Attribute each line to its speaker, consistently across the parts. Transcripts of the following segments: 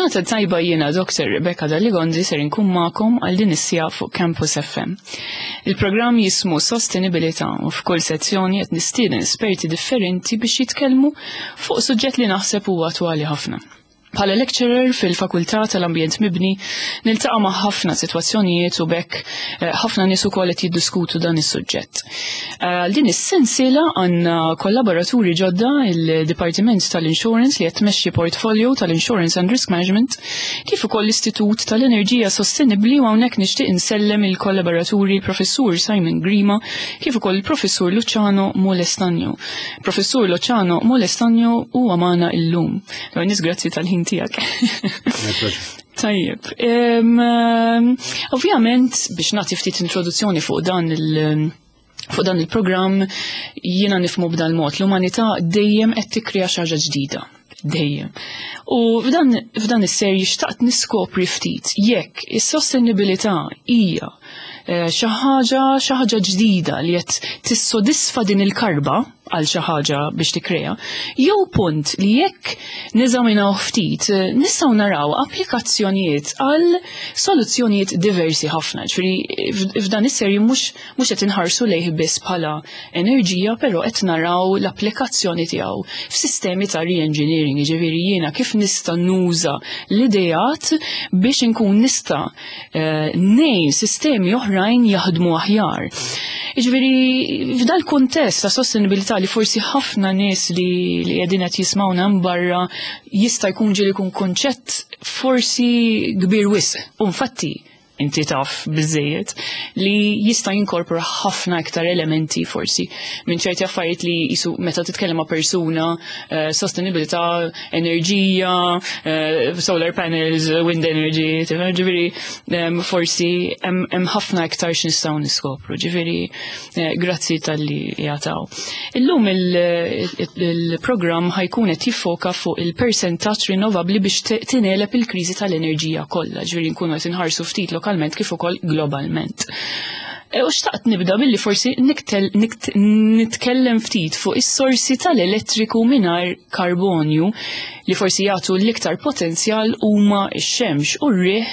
Speaker 1: Il-ġurnata tajba jiena Dr. Rebecca Dalligonzi ser inkun magħkom għal din is-sija fuq Campus FM. Il-programm jismu Sostenibilità u f'kull sezzjoni qed nistieden esperti differenti biex jitkellmu fuq suġġett li naħseb huwa attwali ħafna. Bħala lecturer fil-Fakultà tal-Ambjent Mibni niltaqa' ma' ħafna sitwazzjonijiet u bekk eh, ħafna nies ukoll qed jiddiskutu dan is-suġġett. Eh, għal din is-sensiela għandna kollaboraturi ġodda il-Dipartiment tal-Insurance li qed tmexxi portfolio tal-Insurance and Risk Management kif ukoll l-Istitut tal-Enerġija Sostenibbli u hawnhekk nixtieq insellem il-kollaboraturi l-Professur Simon Grima kif ukoll il-Professur Luciano Molestagno. Professur Luciano Molestagno huwa magħna illum. Nis grazzi tal-ħin tiegħek. Tajjeb. Ovvjament biex nagħti ftit introduzzjoni fuq dan il- fuq dan il-programm jiena nifmu b'dan mod l-umanità dejjem qed tikkrea xi ħaġa ġdida. Dejjem. U f'dan, f'dan is-serji xtaqt niskopri ftit jekk is-sostenibilità hija eh, xi ħaġa xi ħaġa ġdida li qed tissodisfa din il-karba għal xi ħaġa biex tikkrea, jew punt li jekk neżaminaw ftit nistgħu naraw applikazzjonijiet għal soluzzjonijiet diversi ħafna. Ġifieri f'dan is-serji mhux mhux qed inħarsu lejh biss bħala enerġija, però qed naraw l-applikazzjoni tiegħu f'sistemi ta' re-engineering, jiġifieri jiena kif nista' nuża l-ideat biex inkun nista' eh, ngħin sistemi oħrajn jaħdmu aħjar. Jiġifieri f'dal kuntest ta' sostenibilità li forsi ħafna nies li li qegħdin qed jismawna barra jista' jkun ġieli jkun konċett forsi kbir wisq. U infatti inti taf biżejjed li jista' jinkorpora ħafna iktar elementi forsi minn ċerti affarijiet li jisu meta titkellem ma' persuna uh, sostenibilità, enerġija, uh, solar panels, wind energy, ġifieri um, forsi hemm ħafna iktar x'nistgħu niskopru. Ġifieri eh, grazzi talli jataw. Illum il-programm ħajkun qed jiffoka fuq il-persentaġġ rinnovabbli biex tinelep il-kriżi tal-enerġija kollha, ġifieri nkunu qed inħarsu ftit lokalment kif ukoll globalment. E, u xtaqt nibda billi forsi nitkellem ftit fuq is-sorsi tal-elettriku mingħajr karbonju li forsi jagħtu l-iktar potenzjal huma x-xemx u r-riħ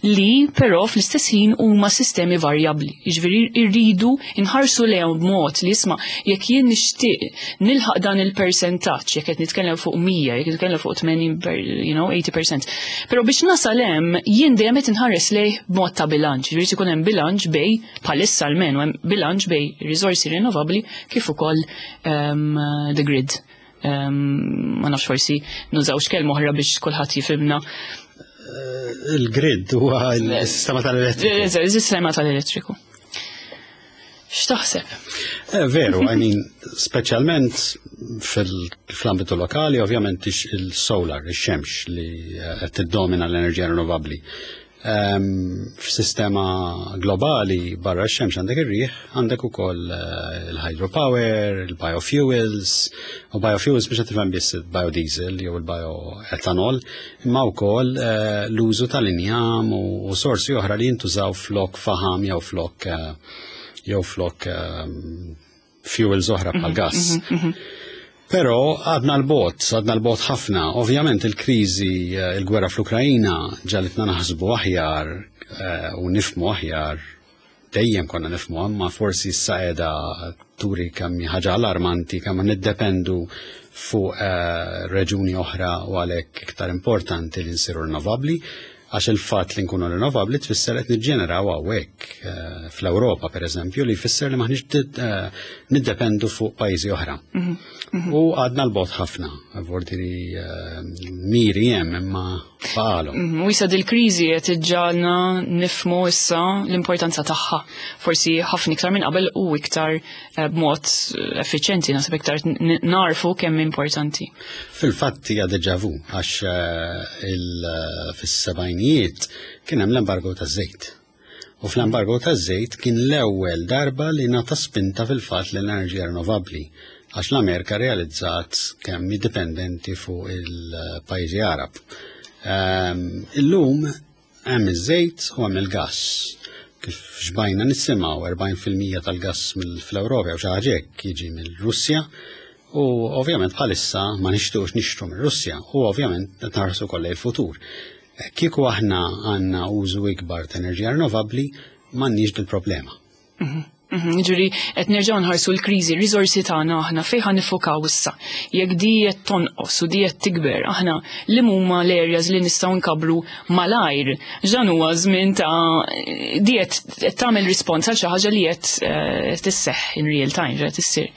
Speaker 1: li però fl-istess ħin huma sistemi varjabbli. Jiġifieri rridu nħarsu lejhom b'mod li isma' jekk jien nixtieq nilħaq dan il-persentaġġ, jekk qed nitkellem fuq 100, jekk nitkellem fuq 80, you know, 80%. Però biex nasal hemm jien dejjem qed inħares lejh b'mod ta' bilanċ. Jiġifieri ikun hemm bilanċ bej bħalissa almenu hemm bilanċ bej riżorsi rinnovabbli kif ukoll um, the grid. Ma nafx forsi nużawx kelma oħra biex kulħadd jifhimna.
Speaker 2: Eh, il-grid huwa il-sistema tal-elettriku.
Speaker 1: Il-sistema tal-elettriku. X'taħseb?
Speaker 2: Eh, veru, I mean, speċjalment fil-ambitu lokali, ovvjament il-solar, il-xemx li eh, qed tiddomina l-enerġija rinnovabbli. Ehm, f'sistema globali barra x-xemx għandek ir-riħ, għandek ukoll eh, il-hydropower, il-biofuels, u biofuels biex tifhem biss il-biodiesel jew il-bioetanol, imma wkoll eh, l-użu tal-injam u sorsi oħra li jintużaw flok faham jew flok eh, jew flok ehm, fuels oħra bħal mhm, gas. Mhm, mhm. Però għadna l-bot, għadna l-bot ħafna. Ovvjament il-kriżi, eh, il-gwerra fl-Ukrajina ġalitna naħsbu aħjar eh, u nifmu aħjar dejjem konna nifmu imma forsi issa qiegħda turi kemm ħaġa allarmanti kemm niddependu fuq eh, reġuni oħra u għalhekk iktar importanti li nsiru rinnovabbli Għax il-fatt li nkunu rinnovabbli tfisser qed niġġeneraw hawnhekk eh, fl-Ewropa pereżempju li jfisser li maħniex eh, niddependu fuq pajjiżi oħra. Mhm, mhm. U għadna l-bot ħafna, vordiri eh, miri hemm imma baqalhom.
Speaker 1: Mhm, u jisa dil-kriżi qed iġġalna nifmu issa l-importanza tagħha. Forsi ħafna iktar minn qabel u iktar b'mod effiċjenti naħseb iktar narfu kemm importanti.
Speaker 2: Fil-fatt hija deja vu għax eh, eh, fis-sebgħinijiet kien hemm l-embargo taż-żejt. U fl-embargo taż-żejt kien l-ewwel darba li nata spinta fil-fatt l-enerġija rinnovabbli għax l-Amerika realizzat kemm dipendenti fuq il-pajjiżi Arab. Ehm, illum Hemm iż-żejt u hemm il-gass. Kif xbajna nisimgħu 40% tal-gass fl-Ewropa jew xi ħaġa hekk jiġi mill-Russja u ovvjament bħalissa ma nixtuqx nixtru mir-Russja u ovvjament qed nħarsu kollha il-futur. Kieku aħna għandna użu ikbar ta' enerġija rinnovabbli, m'għandniex dil-problema.
Speaker 1: Ġifieri, qed nerġgħu nħarsu l-kriżi, riżorsi tagħna aħna fejn ħa niffukaw issa. Jekk di qed tonqos u di qed tikber, aħna li huma l-areas li nistgħu nkabbru malajr. Ġan huwa żmien ta' di qed tagħmel rispons għal xi ħaġa li qed tisseħħ in real time, qed issir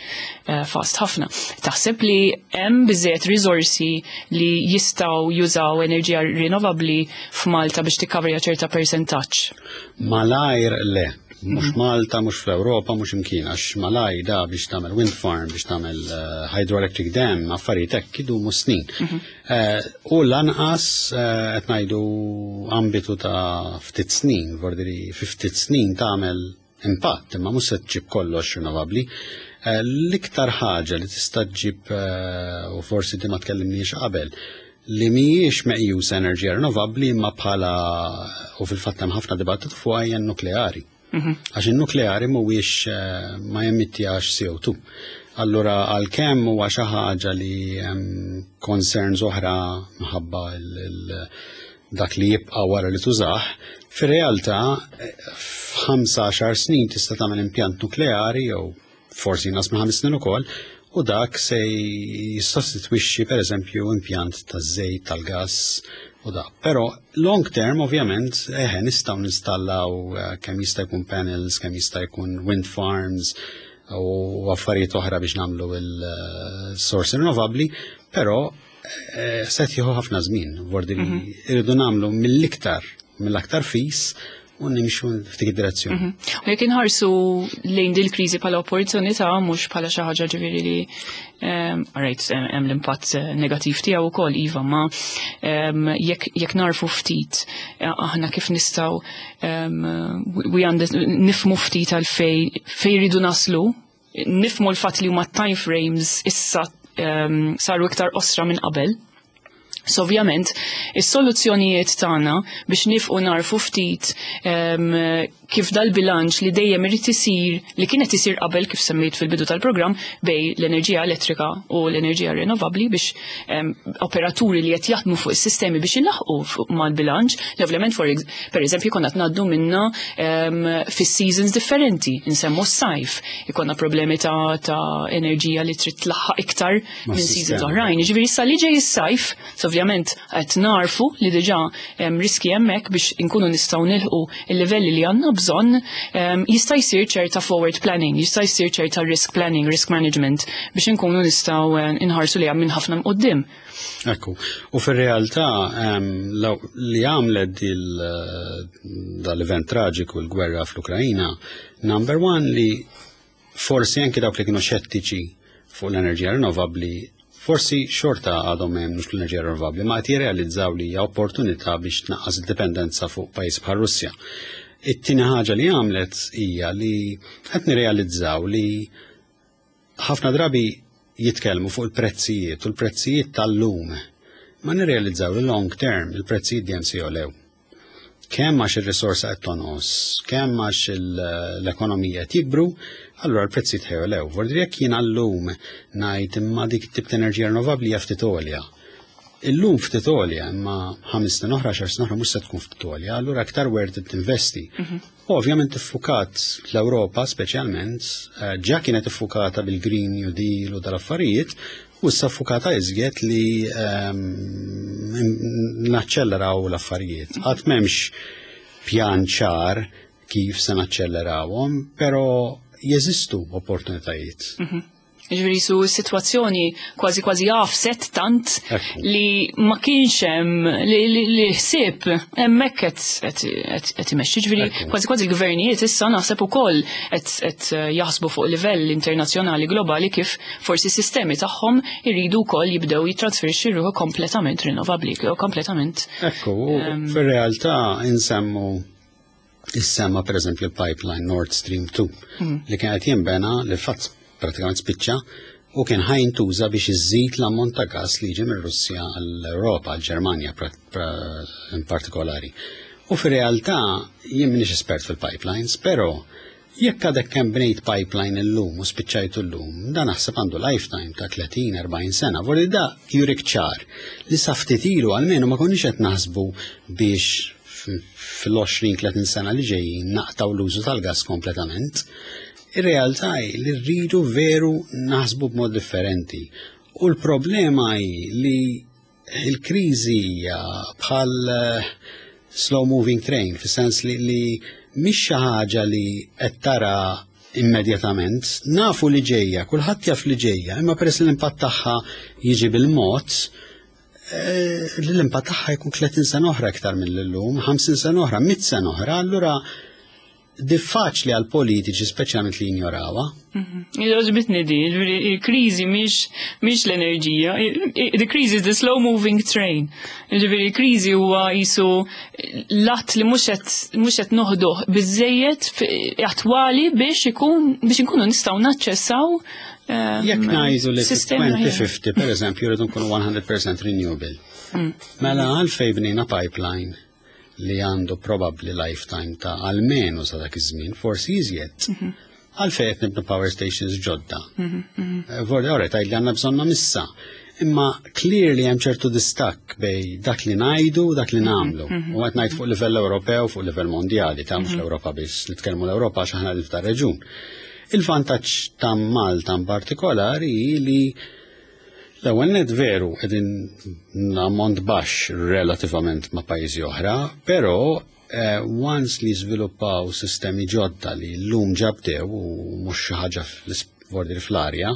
Speaker 1: fast ħafna. Taħseb li hemm biżejjed riżorsi li jistgħu jużaw enerġija rinnovabbli f'Malta biex tikkavrja ċerta persentaġġ?
Speaker 2: Malajr le. Mhux Malta, mhux fl-Ewropa, mhux imkien, għax malaj da biex tagħmel wind farm, biex tagħmel hydroelectric dam, affarijiet hekk idumu snin. U lanqas qed ngħidu ambitu ta' ftit snin, vordiri fi ftit snin tagħmel impatt, imma mhux se tġib kollox rinnovabbli. L-iktar ħaġa li tista' ġib, u forsi di ma tkellimniex qabel, li mhijiex meqjusa enerġija rinnovabbli imma bħala, u fil-fatt hemm ħafna dibattitu fuq, hija nukleari. Għax il-nukleari mhuwiex ma jemittjax CO2. Allura għalkemm huwa xi ħaġa li hemm concerns oħra minħabba dak li jibqa' wara li tużah, fir-realtà f'15 snin tista' tagħmel impjant nukleari jew forsi inqas minn 5 snin ukoll, u dak se jissostitwixxi pereżempju impjant taż-żejt, tal-gass u da. Però long term ovvjament eħe nistgħu ninstallaw kemm jista' jkun panels, kemm jista' jkun wind farms u affarijiet oħra biex nagħmlu il-source rinnovabbli, però se jieħu ħafna żmien, vordi li irridu nagħmlu mill-aktar fis u nimxu f'dik id-direzzjoni.
Speaker 1: U jekk inħarsu lejn dil kriżi bħala opportunità, mhux bħala xi ħaġa ġifieri li alright, hemm l-impatt negattiv tiegħu wkoll iva, ma jekk narfu ftit aħna kif nistgħu nifhmu ftit għal fej rridu naslu, nifhmu l-fatt li huma time frames issa saru iktar qosra minn qabel. So ovvjament, is-soluzzjonijiet tagħna biex nifqu narfu ftit kif dal-bilanċ li dejjem irid isir, li kienet isir qabel kif semmejt fil-bidu tal-programm, bejn l-enerġija elettrika u l-enerġija rinnovabbli biex operaturi li qed jaħdmu fuq is-sistemi biex ilaħqu mal-bilanċ, li ovvjament per eżempju konna ngħaddu minna fis-seasons differenti, insemmu s-sajf, ikonna problemi ta' enerġija li trid tlaħħaq iktar minn seasons oħrajn. Jiġifieri issa li ġej is-sajf, so ovvjament qed narfu li diġà hemm riski hemmhekk biex inkunu nistgħu nilħqu il-livelli li għandna bżonn, jista' jsir ċerta forward planning, jista' jsir ċerta risk planning, risk management biex inkunu nistgħu inħarsu li minn ħafna quddiem.
Speaker 2: Ekku, u fir-realtà li għamlet dal-event traġiku, l-gwerra fl-Ukrajina, number one li forsi anki dawk li kienu xettiċi fuq l-enerġija rinnovabbli forsi xorta għadhom jemmnux l-enerġija rinnovabbli, ma qed jirrealizzaw li hija opportunità biex tnaqqas id-dipendenza fuq pajjiż bħal Russja. It-tieni ħaġa li għamlet hija li qed nirrealizzaw li ħafna drabi jitkellmu fuq il-prezzijiet u l-prezzijiet tal-lum. Ma nirrealizzaw li long term il-prezzijiet dejjem se jogħlew. Kemm għax ir-risorsa qed tonqos, kemm għax l-ekonomija qed jikbru, allura l-prezzijiet ħa jogħlew. Vordi jekk jiena llum ngħid imma dik tip ta' enerġija rinnovabbli hija ftit għolja. Illum ftit għolja, imma 5 snin oħra, 10 snin oħra mhux se tkun ftit għolja, allura aktar worth it tinvesti. Ovvjament iffukat l-Ewropa speċjalment, ġa kienet iffukata bil-Green New Deal u dal-affarijiet, u issa ffukata iżjed li naċċelleraw l-affarijiet. Għad m'hemmx pjan ċar kif se naċċellerawhom, però jeżistu opportunitajiet.
Speaker 1: Ġifieri su situazzjoni kważi kważi għafset tant li ma kienx hemm li ħsieb hemmhekk qed imexxi. Ġifieri kważi kważi l-gvernijiet issa naħseb ukoll qed jaħsbu fuq livell internazzjonali globali kif forsi s-sistemi tagħhom iridu wkoll jibdew jittransferixxi ruħu kompletament rinnovabbli, kompletament.
Speaker 2: Ekku, fir-realtà insemmu Issemma per eżempju il-pipeline Nord Stream 2 li kien qed jinbena, li fatt pratikament spiċċa, u kien ħa jintuża biex iżid l-ammont ta' gas li jiġi mir-Russja għall-Ewropa, għall-Ġermanja in partikolari. U fir-realtà jien m'iniex espert fil-pipelines, però Jekk għadek kemm bnejt pipeline illum u spiċċajtu llum, dan naħseb għandu lifetime ta' 30-40 sena. Vordi da jurik ċar li sa ftit ilu għalmenu ma konniex qed naħsbu biex fil-20-30 sena li ġejjin naqtaw l-użu tal-gas kompletament. Ir-realtà hi li rridu veru naħsbu b'mod differenti. U l-problema hi li il-kriżi hija bħal slow moving train, fis-sens li mhix xi ħaġa li qed tara immedjatament, nafu li ġejja, kulħadd jaf li ġejja, imma peress li l-impatt tagħha jiġi bil-mod, l-impatt tagħha jkun 30 sena oħra iktar mill-lum, 50 sena oħra, 100 sena oħra, allura diffaċli għal politiċi speċjalment li jinjorawha.
Speaker 1: Għoġbitni di, il-kriżi mhix l-enerġija, the crisis is the slow moving train. Ġifieri il-kriżi huwa jisu lat li mhux qed noħduh biżejjed attwali biex ikun biex inkunu nistgħu naċċessaw.
Speaker 2: Jekk ngħidu li 2050 per eżempju rridu nkunu 100% renewable. Mela għalfejn bnejna pipeline li għandu probably lifetime ta' almenu sa dak iż-żmien, forsi iżjed. Għalfejn qed nibnu power stations ġodda. Vordi, ora, tgħid li għandna bżonnhom issa. Imma clearly hemm ċertu distakk bejn dak li ngħidu u dak li nagħmlu. U qed ngħid fuq livell Ewropew, fuq livell mondjali, ta' mhux l-Ewropa biss, nitkellmu l-Ewropa għax aħna ta' reġun. Il-vantaġġ ta' Malta in partikolari li l-ewwel net veru qegħdin ammont baxx relativament ma' pajjiżi oħra, però once li żviluppaw sistemi ġodda li llum ġabdew u mhux xi ħaġa fl-arja,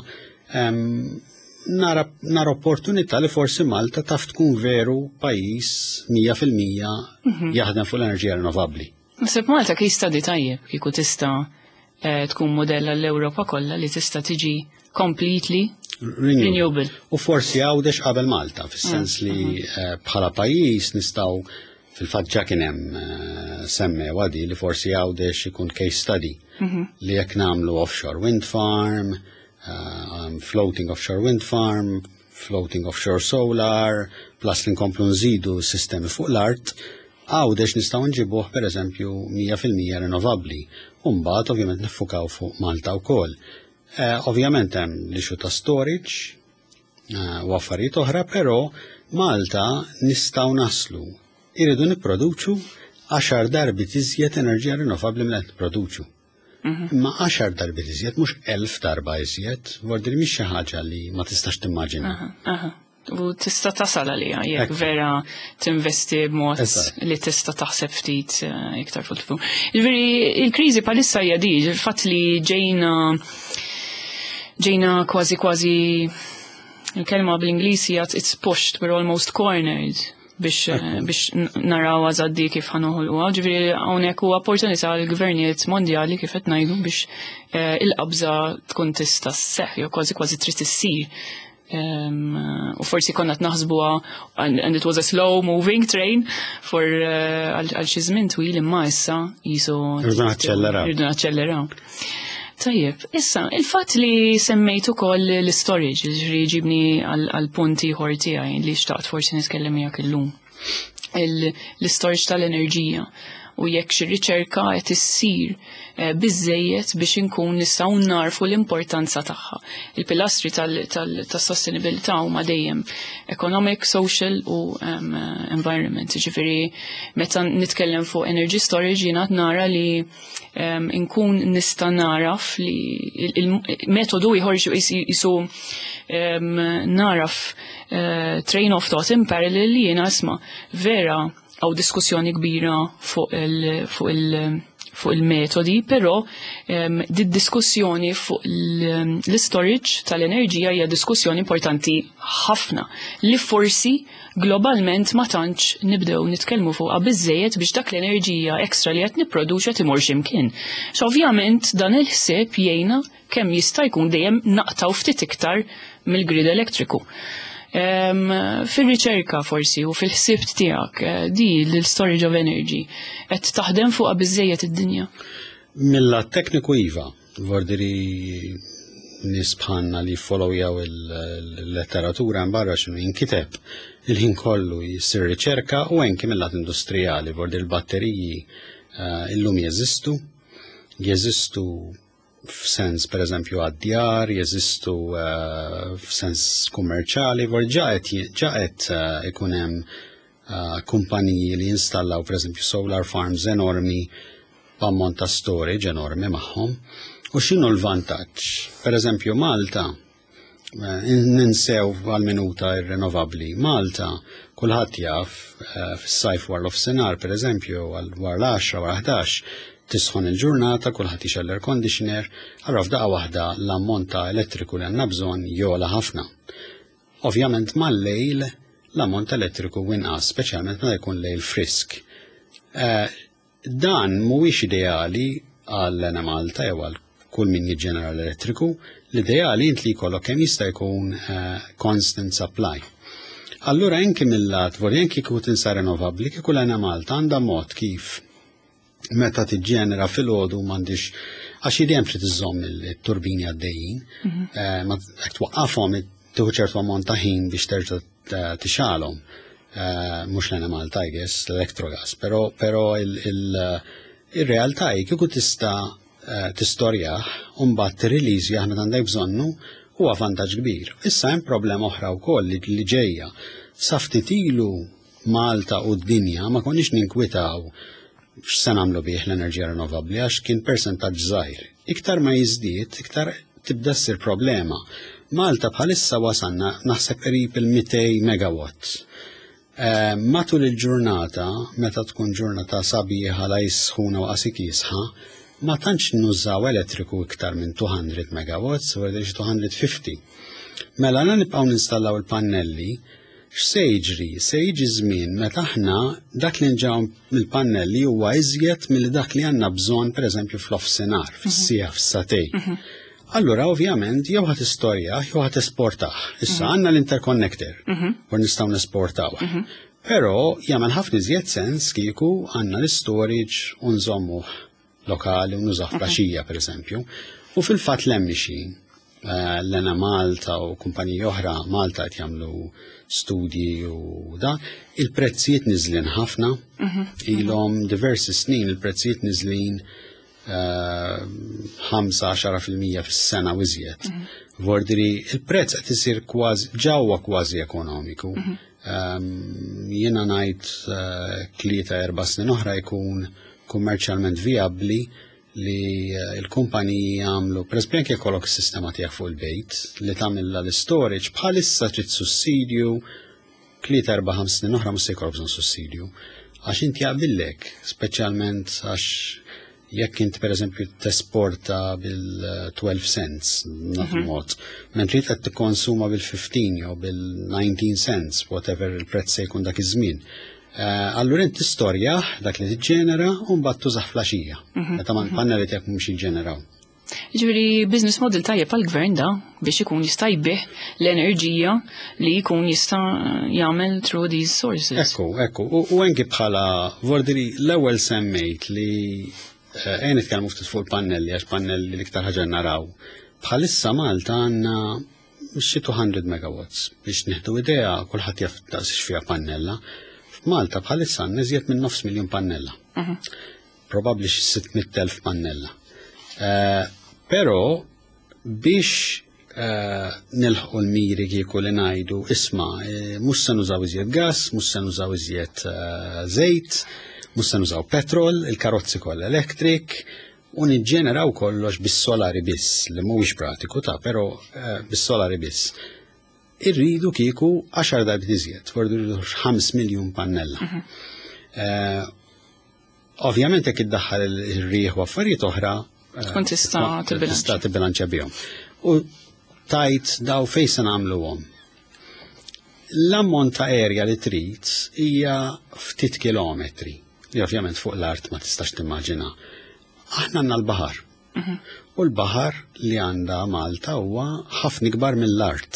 Speaker 2: nara opportunità li forsi Malta taf tkun veru pajjiż 100% jaħdem fuq l-enerġija rinnovabbli.
Speaker 1: Naħseb Malta case study tajjeb kieku tista' tkun modella l-Ewropa kollha li tista' tiġi completely renewable.
Speaker 2: U forsi Għawdex qabel Malta, fis-sens li bħala pajjiż nistgħu fil-fatt ġa kien hemm semmew għadi li forsi Għawdex ikun case study li jekk nagħmlu offshore wind farm, floating offshore wind farm, floating offshore solar, plus li nkomplu nżidu sistemi fuq l-art, Għawdex nistgħu nġibuh per eżempju 100% rinnovabbli. U mbagħad ovvjament niffukaw fuq Malta wkoll. Ovvjament hemm l-issue ta' storage u affarijiet oħra, però Malta nistgħu naslu. Irridu nipproduċu 10 darbiet iżjed enerġija rinnovabbli milli qed nipproduċu. Imma 10 darbiet iżjed, mhux 1000 darba iżjed, vordi li mhix xi ħaġa li ma tistax timmaġina.
Speaker 1: U tista' tasal għaliha jekk vera tinvesti b'mod li tista' taħseb ftit iktar fuq. Ġifieri il-kriżi bħalissa hija di, il-fatt li ġejna kważi kważi il-kelma bl-Ingliż hija it's pushed, we're almost cornered biex naraw għażaddi kif ħa noħolquha. Ġifieri hawnhekk huwa opportunità għall gvernijiet mondjali kif qed ngħidu biex il-qabża tkun tista' sseħħ jew kważi kważi trid issir. U forsi konna naħsbuha and it was a slow moving train for għal xi żmien twil imma issa jisu
Speaker 2: Irridu naċċelleraw.
Speaker 1: Irridu naċċelleraw. Tajjeb, issa, il-fatt li semmejt ukoll l-storage, ġifieri ġibni għal punt ieħor tiegħi li xtaqt forsi nitkellem miegħek illum. L-storage tal-enerġija u jekk xi riċerka qed issir biżejjed biex inkun nistgħu narfu l-importanza tagħha. Il-pilastri tas-sostenibilità huma dejjem economic, social u environment. Ġifieri meta nitkellem fuq energy storage jiena nara li inkun nista' naraf li il-metodu ieħor jisu naraf train of thought in parallel li jiena isma' vera għaw diskussjoni kbira fuq il-metodi, però di diskussjoni fuq l-storage tal-enerġija hija diskussjoni importanti ħafna li forsi globalment ma tantx nibdew nitkellmu fuqha biżejjed biex dak l-enerġija ekstra li qed nipproduċa timur x'imkien. So ovvjament dan il-ħsieb jgħinna kemm jista' jkun dejjem naqtaw ftit iktar mill-grid elettriku. Fil-riċerka forsi u fil-ħsieb tiegħek di l-storage of energy qed taħdem fuqha biżejjed id-dinja.
Speaker 2: Mill-lat tekniku iva, vordiri nies bħalna li followjaw il-letteratura barra x'inhu jinkiteb il-ħin kollu jisir riċerka u anki mill-lat industrijali, vordi l-batteriji illum jeżistu. Jeżistu f'sens per eżempju għad-djar, jeżistu f'sens kummerċali, vor ġa qed ikun hemm kumpaniji li jinstallaw per eżempju solar farms enormi b'ammont ta' storage enormi magħhom. U x'inhu l-vantaġġ? Per eżempju Malta, ninsew għal-minuta ir-rinnovabbli. Malta, kulħadd jaf, fis-sajf wara l-offsenar, per eżempju, wara l-10, wara 11, tisħon il-ġurnata, kulħadd jixgħel l-air conditioner, allura f'daqqa waħda l-ammont ta' elettriku li għandna bżonn jogħla ħafna. Ovvjament mal-lejl l-ammont elettriku inqas, speċjalment meta jkun lejl frisk. Dan mhuwiex ideali għal Enemalta jew għal kull min jiġġenera l-elettriku, l-ideali int li jkollok kemm jista' jkun constant supply. Allura anki mill-lat, vorja anki kieku tinsa rinnovabbli, kieku l-Enemalta għandha mod kif meta tiġġenera filgħodu m'għandix għax dejjem trid iżżomm il-turbini għaddejjin, ma jekk twaqqafhom tieħu ċertu ammont ta' ħin biex terġa' tixgħalhom. Mhux l-Enemalta, I guess, l-Electrogas, però il-realtà hi kieku tista' tistorjah u mbagħad tirreleasjah meta għandek bżonnu huwa vantaġġ kbir. Issa hemm problema oħra wkoll li ġejja. Sa ftit ilu Malta u d-dinja ma konniex ninkwitaw x'se nagħmlu bih l-enerġija rinnovabbli għax kien persentaġġ żgħir. Iktar ma jiżdied, iktar tibda ssir problema. Malta bħalissa wasalna naħseb qrib il-200 megawatt. Matul il-ġurnata, meta tkun ġurnata sabiħa la jisħuna u qasik jisħa, ma tantx nużaw elettriku iktar minn 200 megawatts, u 250. Mela la nibqgħu ninstallaw il-pannelli, x'se jiġri? Se jiġi żmien meta aħna dak li nġaw mill-pannelli huwa iżjed milli dak li għandna bżonn pereżempju fl-offsinar, fis-siegħa, fis-sagħtejn. Allura ovvjament jew ħa tistorjah jew ħa tesportah. Issa għandna l-interconnector u nistgħu nesportaw. Però jagħmel ħafna iżjed sens kieku għandna l-storage u nżommuh lokali u nużah flaxija pereżempju. U fil-fatt l-emmixi l-Enemalta u kumpaniji oħra Malta qed jagħmlu studji u da, il-prezzijiet niżlin ħafna, ilhom diversi snin il-prezzijiet niżlin 5-10% fis-sena u iżjed. Vordiri, il-prezz qed isir kważi ġewwa kważi ekonomiku. Jiena ngħid 3-4 snin oħra jkun kummerċjalment vijabbli li l-kumpaniji jagħmlu, per eżempju anke jkollok is-sistema tiegħek fuq il-bejt li tagħmilha l-storage bħalissa trid sussidju 3-4-5 snin oħra mhux se jkollok bżonn sussidju. Għax inti jaqbillek, speċjalment għax jekk inti per eżempju tesporta bil-12 cents, nagħtu mod, mentri qed tikkonsuma bil-15 jew bil-19 cents, whatever il-prezz se jkun dak iż-żmien. Allura inti tistorjah dak li tiġġenera u mbagħad tużah flaxija. Meta ma l-pannelli tiegħek mhux jiġġeneraw.
Speaker 1: Ġifieri business model tajjeb għall-gvern da biex ikun jista' jbigħ l-enerġija li jkun jista' jagħmel through these sources.
Speaker 2: Ekku, ekku. U anki bħala vordiri l-ewwel semmejt li ejja nitkellmu ftit fuq il-pannelli għax pannelli l-iktar ħaġa naraw. Bħalissa Malta għandna xi 200 megawatts biex nieħdu idea kulħadd jaf daqs fiha pannella. F'Malta bħalissa għandna iżjed minn nofs miljun pannella. Probabbli xi 600,000 pannella. Però biex nilħqu l-miri kieku li ngħidu isma' mhux se nużaw iżjed gas, mhux se nużaw iżjed żejt, mhux se nużaw petrol, il-karozzi kollha electric, u niġġeneraw kollox bis-solari biss, li mhuwiex pratiku ta' però bis-solari biss. Irridu kieku 10 darbiet iżjed, fordu rridu 5 miljun pannella. Ovvjament jekk iddaħħal ir-riħ u affarijiet oħra,
Speaker 1: tkun tista' tibbilanċja.
Speaker 2: Tista' tibbilanċja bihom. U tajt daw fejn se nagħmluhom. L-ammont ta' area li trid hija ftit kilometri, li ovvjament fuq l-art ma tistax timmaġina. Aħna għandna l-baħar. U l-baħar li għandha Malta huwa ħafna ikbar mill-art.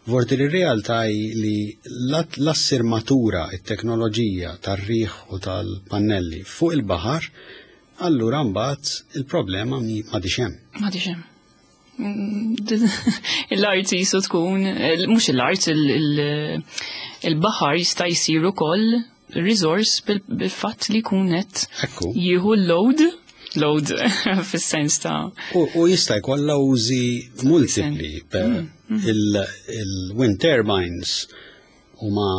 Speaker 2: Vordi li r-realtà hi li l-assir matura it-teknoloġija tar-riħ u tal-pannelli fuq il-baħar, allura mbagħad il-problema m'għadix hemm.
Speaker 1: M'għadix hemm. L-art jisu tkun, mhux l-art, il-baħar jista' jsir ukoll resource bil-fatt li jkun qed jieħu l-load. load fis-sens ta'
Speaker 2: U jista' jkollha użi multipli. Il-wind turbines huma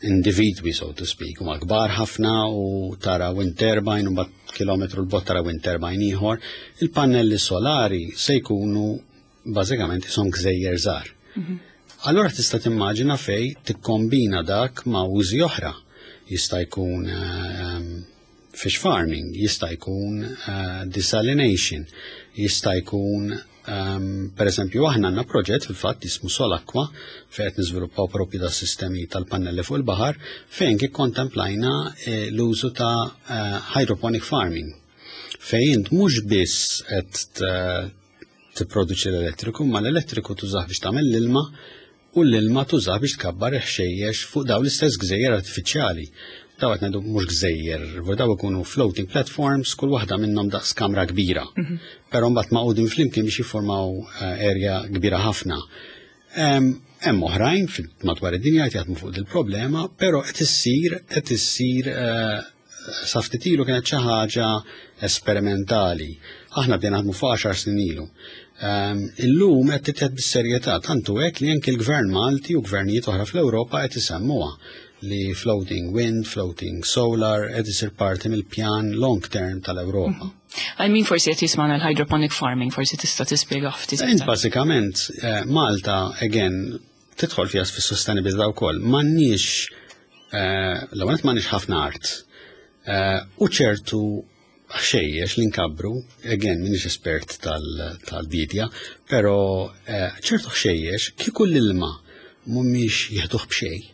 Speaker 2: individwi, so to speak, huma kbar ħafna u tara wind turbine u mbagħad kilometru 'l bogħod tara wind turbine ieħor. Il-pannelli solari se jkunu bażikament isom gżejjer żgħar. Allora tista' timmaġina fej tikkombina dak ma' użi oħra. Jista' jkun fish farming, jista' jkun desalination, jista' jkun per eżempju, aħna għandna proġett fil-fatt jismu Solaqua, fejn qed niżviluppaw propju da sistemi tal-pannelli fuq il-baħar, fejn kif kontemplajna l-użu ta' hydroponic farming. Fejn int mhux biss qed tipproduċi l-elettriku, ma l-elettriku tużah biex tagħmel l-ilma u l-ilma tużah biex tkabbar ħxejjex fuq daw l-istess gżejjer artifiċjali. Daw qed ngħidu mhux gżejjer, daw ikunu floating platforms, kull waħda minnhom daqs kamra kbira. Però mbagħad magħqudin flimkien biex jiffurmaw area kbira ħafna. Hemm oħrajn madwar id-dinja qed jaħdmu fuq il-problema, però qed issir sa ftit ilu kienet xi ħaġa esperimentali. Aħna bdejna naħdmu fuq 10 snin ilu. Illum qed titħed bis-serjetà, tantu hekk li anke l-Gvern Malti u gvernijiet oħra fl-Ewropa qed isemmuha li floating wind, floating solar qed isir parti mill-pjan long term tal-Ewropa.
Speaker 1: I mean, forsi qed jismana l-hydroponic farming, forsi tista' tispjega ftit.
Speaker 2: Int bażikament Malta, again, tidħol fiha fis-sostenibilità wkoll. M'għandniex l-ewwel m'għandniex ħafna art. U ċertu ħxejjex li nkabbru, again, minix espert tal-bidja, pero ċertu ħxejjex kieku l-ilma mhumiex jieħduh b'xejn.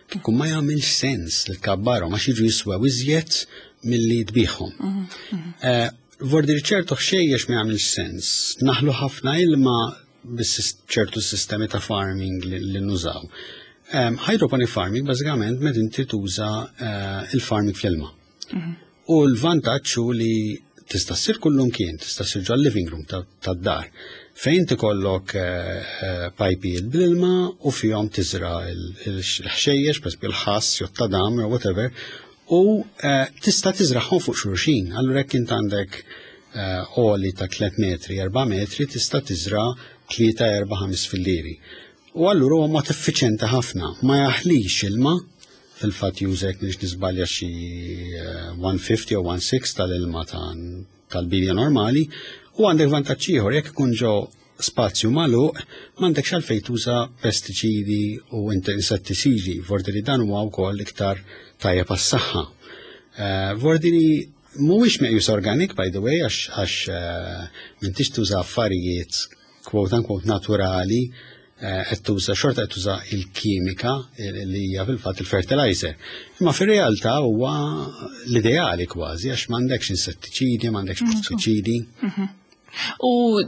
Speaker 2: Kieku ma jagħmilx sens li tkabbarhom għax jiġu jiswew iżjed milli tbigħhom. Vordir ċertu ħxejjex ma jagħmilx sens. Naħlu ħafna ilma bis ċertu sistemi ta' farming li nużaw. Hydroponic farming bażikament meta inti tuża il-farming fl-ilma. U l-vantaġġ hu li tista' ssir kullum kien, tista' ssir ġol living room tad-dar. Fejn tikollok pajpi bl-ilma u fihom tiżra il-ħxejjex, per il-ħass, jew tadam, jew whatever, u tista' tiżraħhom fuq xulxin. Allura jekk int għandek għoli ta' 3 metri, 4 metri, tista' tiżra 3, 4, 5 fillieri. U allura huwa mod effiċjenti ħafna, ma jaħlix ilma, fil-fatt jużek biex nisbalja xi 150 jew 16 tal-ilma tal-bidja normali, u għandek vantaġġ ieħor: jekk ikun ġo spazju magħluq, m'għandekx għalfejn tuża pestiċidi u insettiċidi, vordiri dan huwa wkoll iktar tajjeb għas-saħħa. Vordiri mhuwiex meqjus organic, by the way, għax m'intix tuża affarijiet quote unquote naturali, qed tuża xorta qed tuża il-kimika li hija fil-fatt il-fertilizer. Imma fir-realtà huwa l-ideali kważi għax m'għandekx insettiċidi, m'għandekx pestiċidi.
Speaker 1: U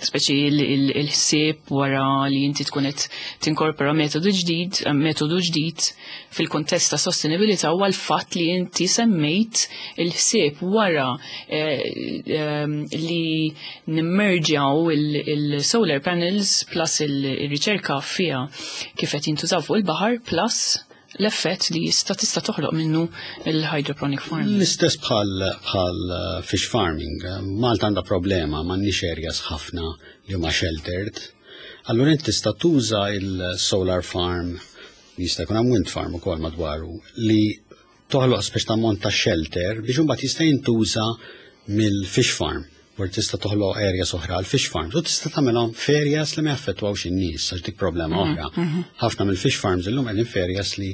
Speaker 1: speċi il-ħsieb wara li inti tkun qed tinkorpora metodu ġdid fil-kontest ta' sostenibilità huwa l-fatt li inti semmejt il-ħsieb wara li nimmerġjaw il-solar panels plus il-riċerka fiha kif qed jintużaw fuq il-baħar plus l-effett li jista' tista' toħloq minnu il-hydroponic farming.
Speaker 2: L-istess bħal fish farming. Malta għandha problema, m'għandniex areas ħafna li huma sheltered. Allura inti tista' tuża il-solar farm, jista' jkun hemm wind farm ukoll madwaru, li toħloq speċ ta' ammont ta' shelter biex imbagħad jista' jintuża mill-fish farm. U tista' toħloq areas oħra għal fish farms u tista' tagħmelhom f'areas li ma jaffettwawx in-nies, għax dik problema oħra. Ħafna mill-fish farms illum qegħdin f'areas li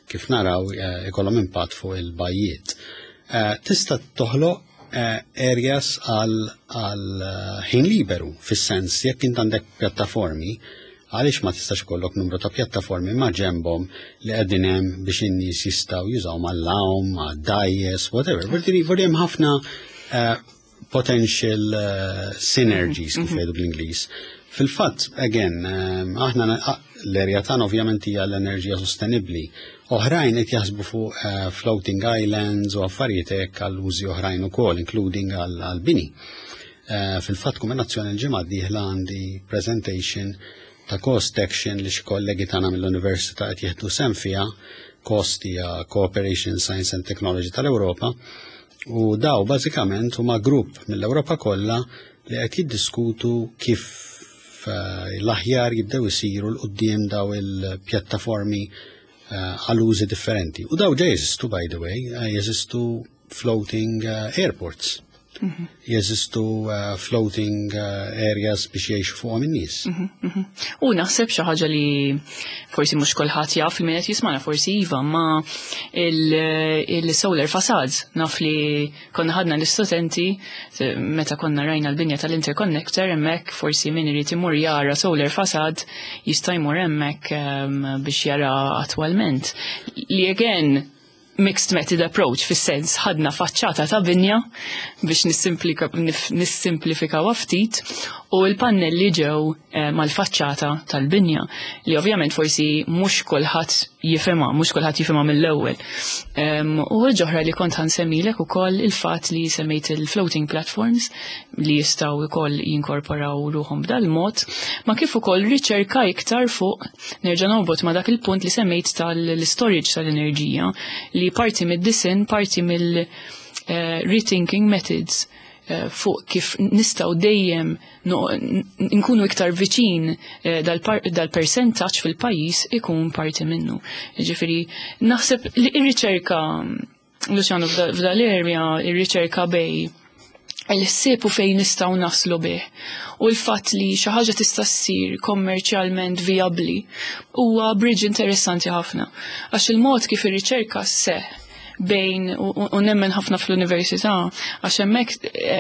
Speaker 2: kif naraw ikollhom impatt fuq il-bajjiet. Tista' toħloq areas għal ħin liberu, fis-sens jekk int għandek pjattaformi, għaliex ma tistax ikollok numru ta' pjattaformi ma' ġembhom li qegħdin hemm biex in-nies jistgħu jużaw mal-lawm, ma' dgħajjes, whatever. Vordi hemm ħafna potential synergies, kif jgħidu bl-Ingliż. Fil-fatt, again, aħna l-erja tagħna ovvjament hija l-enerġija sostenibbli. Oħrajn qed jaħsbu fuq floating islands u affarijiet hekk għal użi oħrajn ukoll, including għal bini. Fil-fatt, kumbinazzjoni l-ġimgħa d-dieħla għandi presentation ta' COST Action li xi kollegi tagħna mill-Università qed jieħdu sehem fiha. COST hija Cooperation Science and Technology tal-Ewropa. U daw bażikament huma grupp mill-Ewropa kollha li qed jiddiskutu kif l-aħjar jibdew isiru 'l quddiem daw il-pjattaformi għal użi differenti. U daw ġa jeżistu, by the way, jeżistu floating airports. Jeżistu floating areas biex jgħixu fuqhom in-nies.
Speaker 1: U naħseb xi ħaġa li forsi mhux kulħadd jaf, min qed jismana forsi iva, ma il-solar facades, naf li konna ħadna l-istudenti meta konna rajna l-binja tal-interconnector hemmhekk, forsi min irid imur jara solar facade jista' jmur hemmhekk biex jara attwalment. Li again, mixed method approach, fis-sens ħadna faċċata ta' binja biex nissimplifikaw ftit u l-pannelli ġew mal-faċċata tal-binja li ovvjament forsi mhux kulħadd jifhimha, mhux kulħadd jifhimha mill-ewwel. U ġoħra li kont ħansemmilek ukoll il-fatt li semmejt il-floating platforms li jistgħu wkoll jinkorporaw ruħhom b'dal-mod, ma kif ukoll riċerka iktar fuq, nerġa' norbot ma' dak il-punt li semmejt tal-storage tal-enerġija, li parti mid-disinn, parti mill rethinking methods fuq kif nistgħu dejjem nkunu iktar viċin dal-percentaġġ fil-pajjiż ikun parti minnu. Ġifieri naħseb li r-riċerka, Luciano, f'dal-area, ir-riċerka bej il-ħsieb u fejn nistgħu naslu bih u l-fatt li xi ħaġa tista' ssir kommerċjalment vijabbli huwa bridge interessanti ħafna. Għax il-mod kif ir-riċerka sseħħ bejn u nemmen ħafna fl-università, għax hemmhekk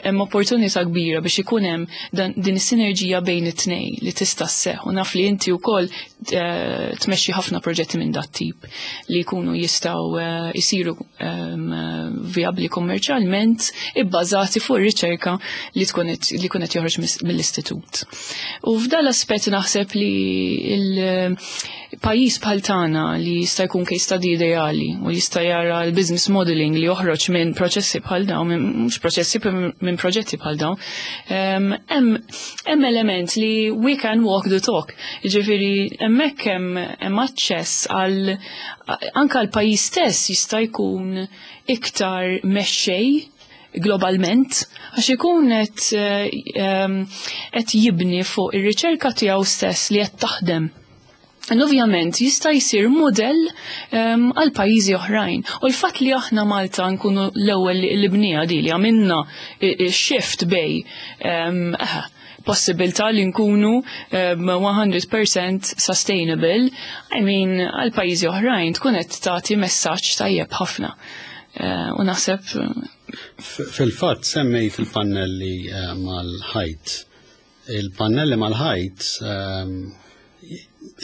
Speaker 1: hemm opportunità kbira biex ikun hemm din is-sinerġija bejn it-tnejn li tista' sseħħ, u naf li inti wkoll tmexxi ħafna proġetti minn dat tip li jkunu jistgħu jsiru vijabbli kommerċjalment ibbażati fuq ir-riċerka li tkun qed, li jkun qed joħroġ mill-istitut. U f'dal aspett naħseb li il-pajjiż bħal tagħna li jista' jkun case study ideali u jista' jara l-business modeling li joħroġ minn proċessi bħal dawn, minn mhux proċessi, minn proġetti bħal dawn, hemm element li we can walk the talk. Jiġifieri hemmhekk hemm aċċess għal anke l-pajjiż stess jista' jkun iktar mexxej globalment, għax ikun qed jibni fuq ir-riċerka tiegħu stess li qed taħdem. Ovvjament jista' jsir modell għal pajjiżi oħrajn. U l-fatt li aħna Malta nkunu l-ewwel li bnija di li għamilna shift bej possibilità li nkunu 100% sustainable, I mean, għal pajjiżi oħrajn tkun qed tagħti messaġġ tajjeb ħafna. U naħseb
Speaker 2: Fil-fatt semmejt il-pannelli mal-ħajt. Il-pannelli mal-ħajt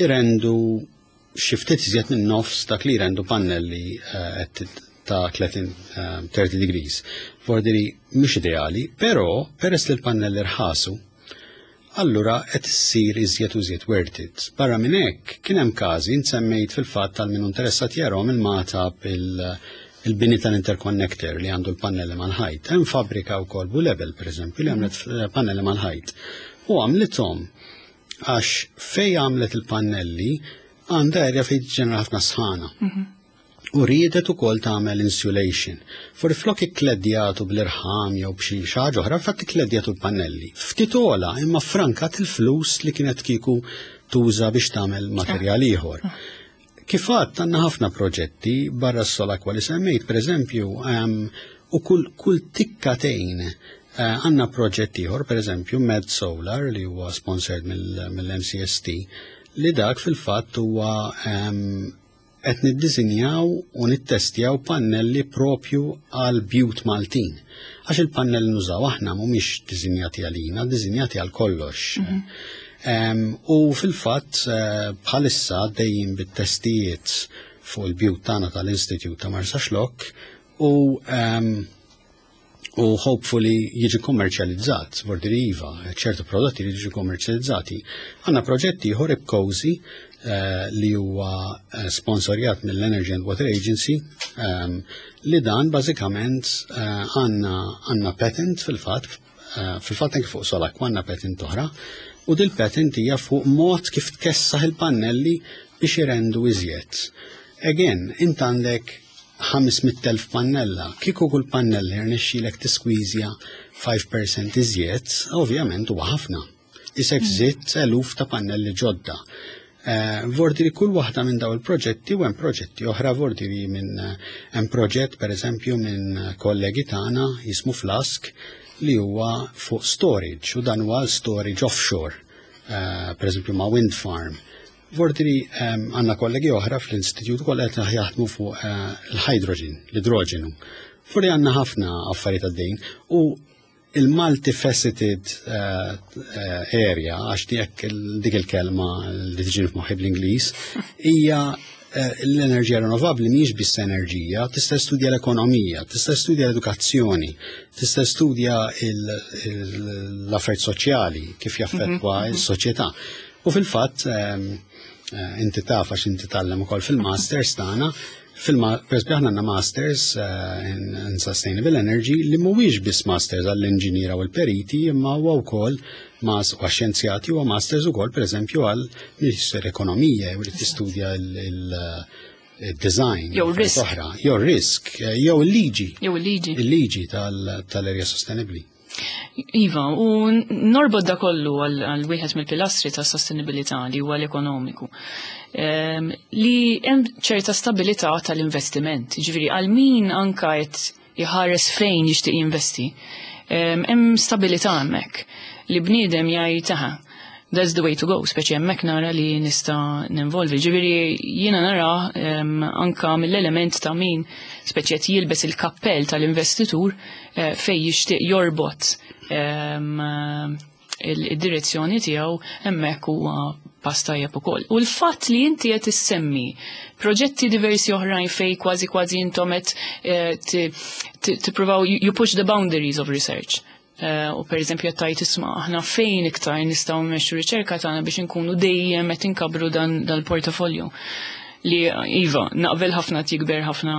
Speaker 2: irendu xi ftit iżjed minn nofs dak li jrendu pannelli ta' 30 degrees. Vordiri mhux ideali, però peress li l-pannelli rħasu, allura qed issir iżjed u iżjed worth it. Barra minn hekk kien hemm każi nsemmejt fil-fatt tal min interessat jarahom il-Magħtab il-bini tal-interconnector li għandu l-pannelli mal-ħajt. Hemm fabbrika wkoll Bulebel pereżempju li għamlet pannelli mal-ħajt. U għamlithom għax fej għamlet il-pannelli għandha area fejn ġenera ħafna sħana. U riedet ukoll tagħmel insulation. For flok ikkledjatu bl-irħam jew b'xi ħaġa oħra, fatt ikkledjatu l-pannelli. Ftit ola imma frankat il-flus li kienet kieku tuża biex tagħmel materjal ieħor. Kif għadt, għandna ħafna proġetti barra s-Solaqua li semmejt, per eżempju, u kull tikkatejn għandna proġett ieħor, per eżempju, Med Solar li huwa sponsored mill-MCST, li dak fil-fatt huwa qed niddisinjaw u nittestjaw pannelli propju għal bjut Maltin. Għax il-pannelli nużaw aħna mhumiex disinjati għalina, disinjati għal kollox. U fil-fatt bħalissa dejjem bit-testijiet fuq il-bjut tagħna tal-Institute ta' Marsaxlokk u hopefully jiġi kommerċjalizzat, vordiri iva, ċertu prodotti li jiġu kommerċjalizzati. Għandna proġetti ieħor IPCOSI li huwa sponsorjat mill-Energy and Water Agency, li dan bażikament għandna patent fil-fatt anke fuq Solaqua għandna patent oħra, u dil-patent hija fuq mod kif tkessaħ il-pannelli biex irendu iżjed. Again, int għandek 500,000 pannella, kieku kull pannella jirnexxilek tiskwiżja 5% iżjed, ovvjament huwa ħafna. Isek żidt eluf ta' pannelli ġodda. Vordi li kull waħda minn daw il-proġetti u hemm proġetti oħra, vordi li minn hemm proġett, pereżempju, minn kollegi tagħna jismu Flask, li huwa fuq storage, u dan huwa storage offshore, pereżempju ma' wind farm. Vordi li għandna kollegi oħra fl-istitut ukoll qed jaħdmu fuq l-hydrogen, l-idroġenu. Vordi għandna ħafna affarijiet għaddejn u il-multifaceted area, għax dik il-kelma li tiġi f'moħħi bl-Ingliż, hija l-enerġija rinnovabbli mhijiex biss enerġija, tista' studja l-ekonomija, tista' studja l-edukazzjoni, tista' studja l-affarijiet soċjali, kif jaffettwa s-soċjetà. U fil-fatt, inti taf għax inti tgħallem ukoll fil-masters tagħna, per esempio, aħna għandna masters in Sustainable Energy li mhuwiex biss masters għall-inġiniera u l-periti, imma huwa wkoll mas u xjenzjati, huwa masters ukoll, pereżempju, għal minister ekonomija jew li tistudja il-design.
Speaker 1: Jew risk.
Speaker 2: Oħra, jew risk, jew il-liġi.
Speaker 1: Jew il-liġi.
Speaker 2: Il-liġi tal-erja sostenibli.
Speaker 1: Iva, u norbod da kollu għal wieħed mill-pilastri ta' sostenibilità li huwa l-ekonomiku. Li hemm ċerta stabilità tal-investiment, ġifieri għal min anka qed jħares fejn jixtieq jinvesti. Hemm stabilità hemmhekk li bniedem jgħid, "Aha, that's the way to go," speċi hemmhekk nara li nista' ninvolvi. Ġifieri jiena nara anka mill-element ta' min speċi qed jilbes il-kappell tal-investitur fej jixtieq jorbot il-direzzjoni tiegħu, hemmhekk huwa pass tajjeb ukoll. U l-fatt li inti qed issemmi proġetti diversi oħrajn fej kważi kważi intom qed tippruvaw you push the boundaries of research. U per eżempju qed tgħid, "Isma', aħna fejn iktar nistgħu mmexxu riċerka tagħna biex inkunu dejjem qed inkabru dan dal-portafolju?" Li iva, naqbel ħafna, jikber ħafna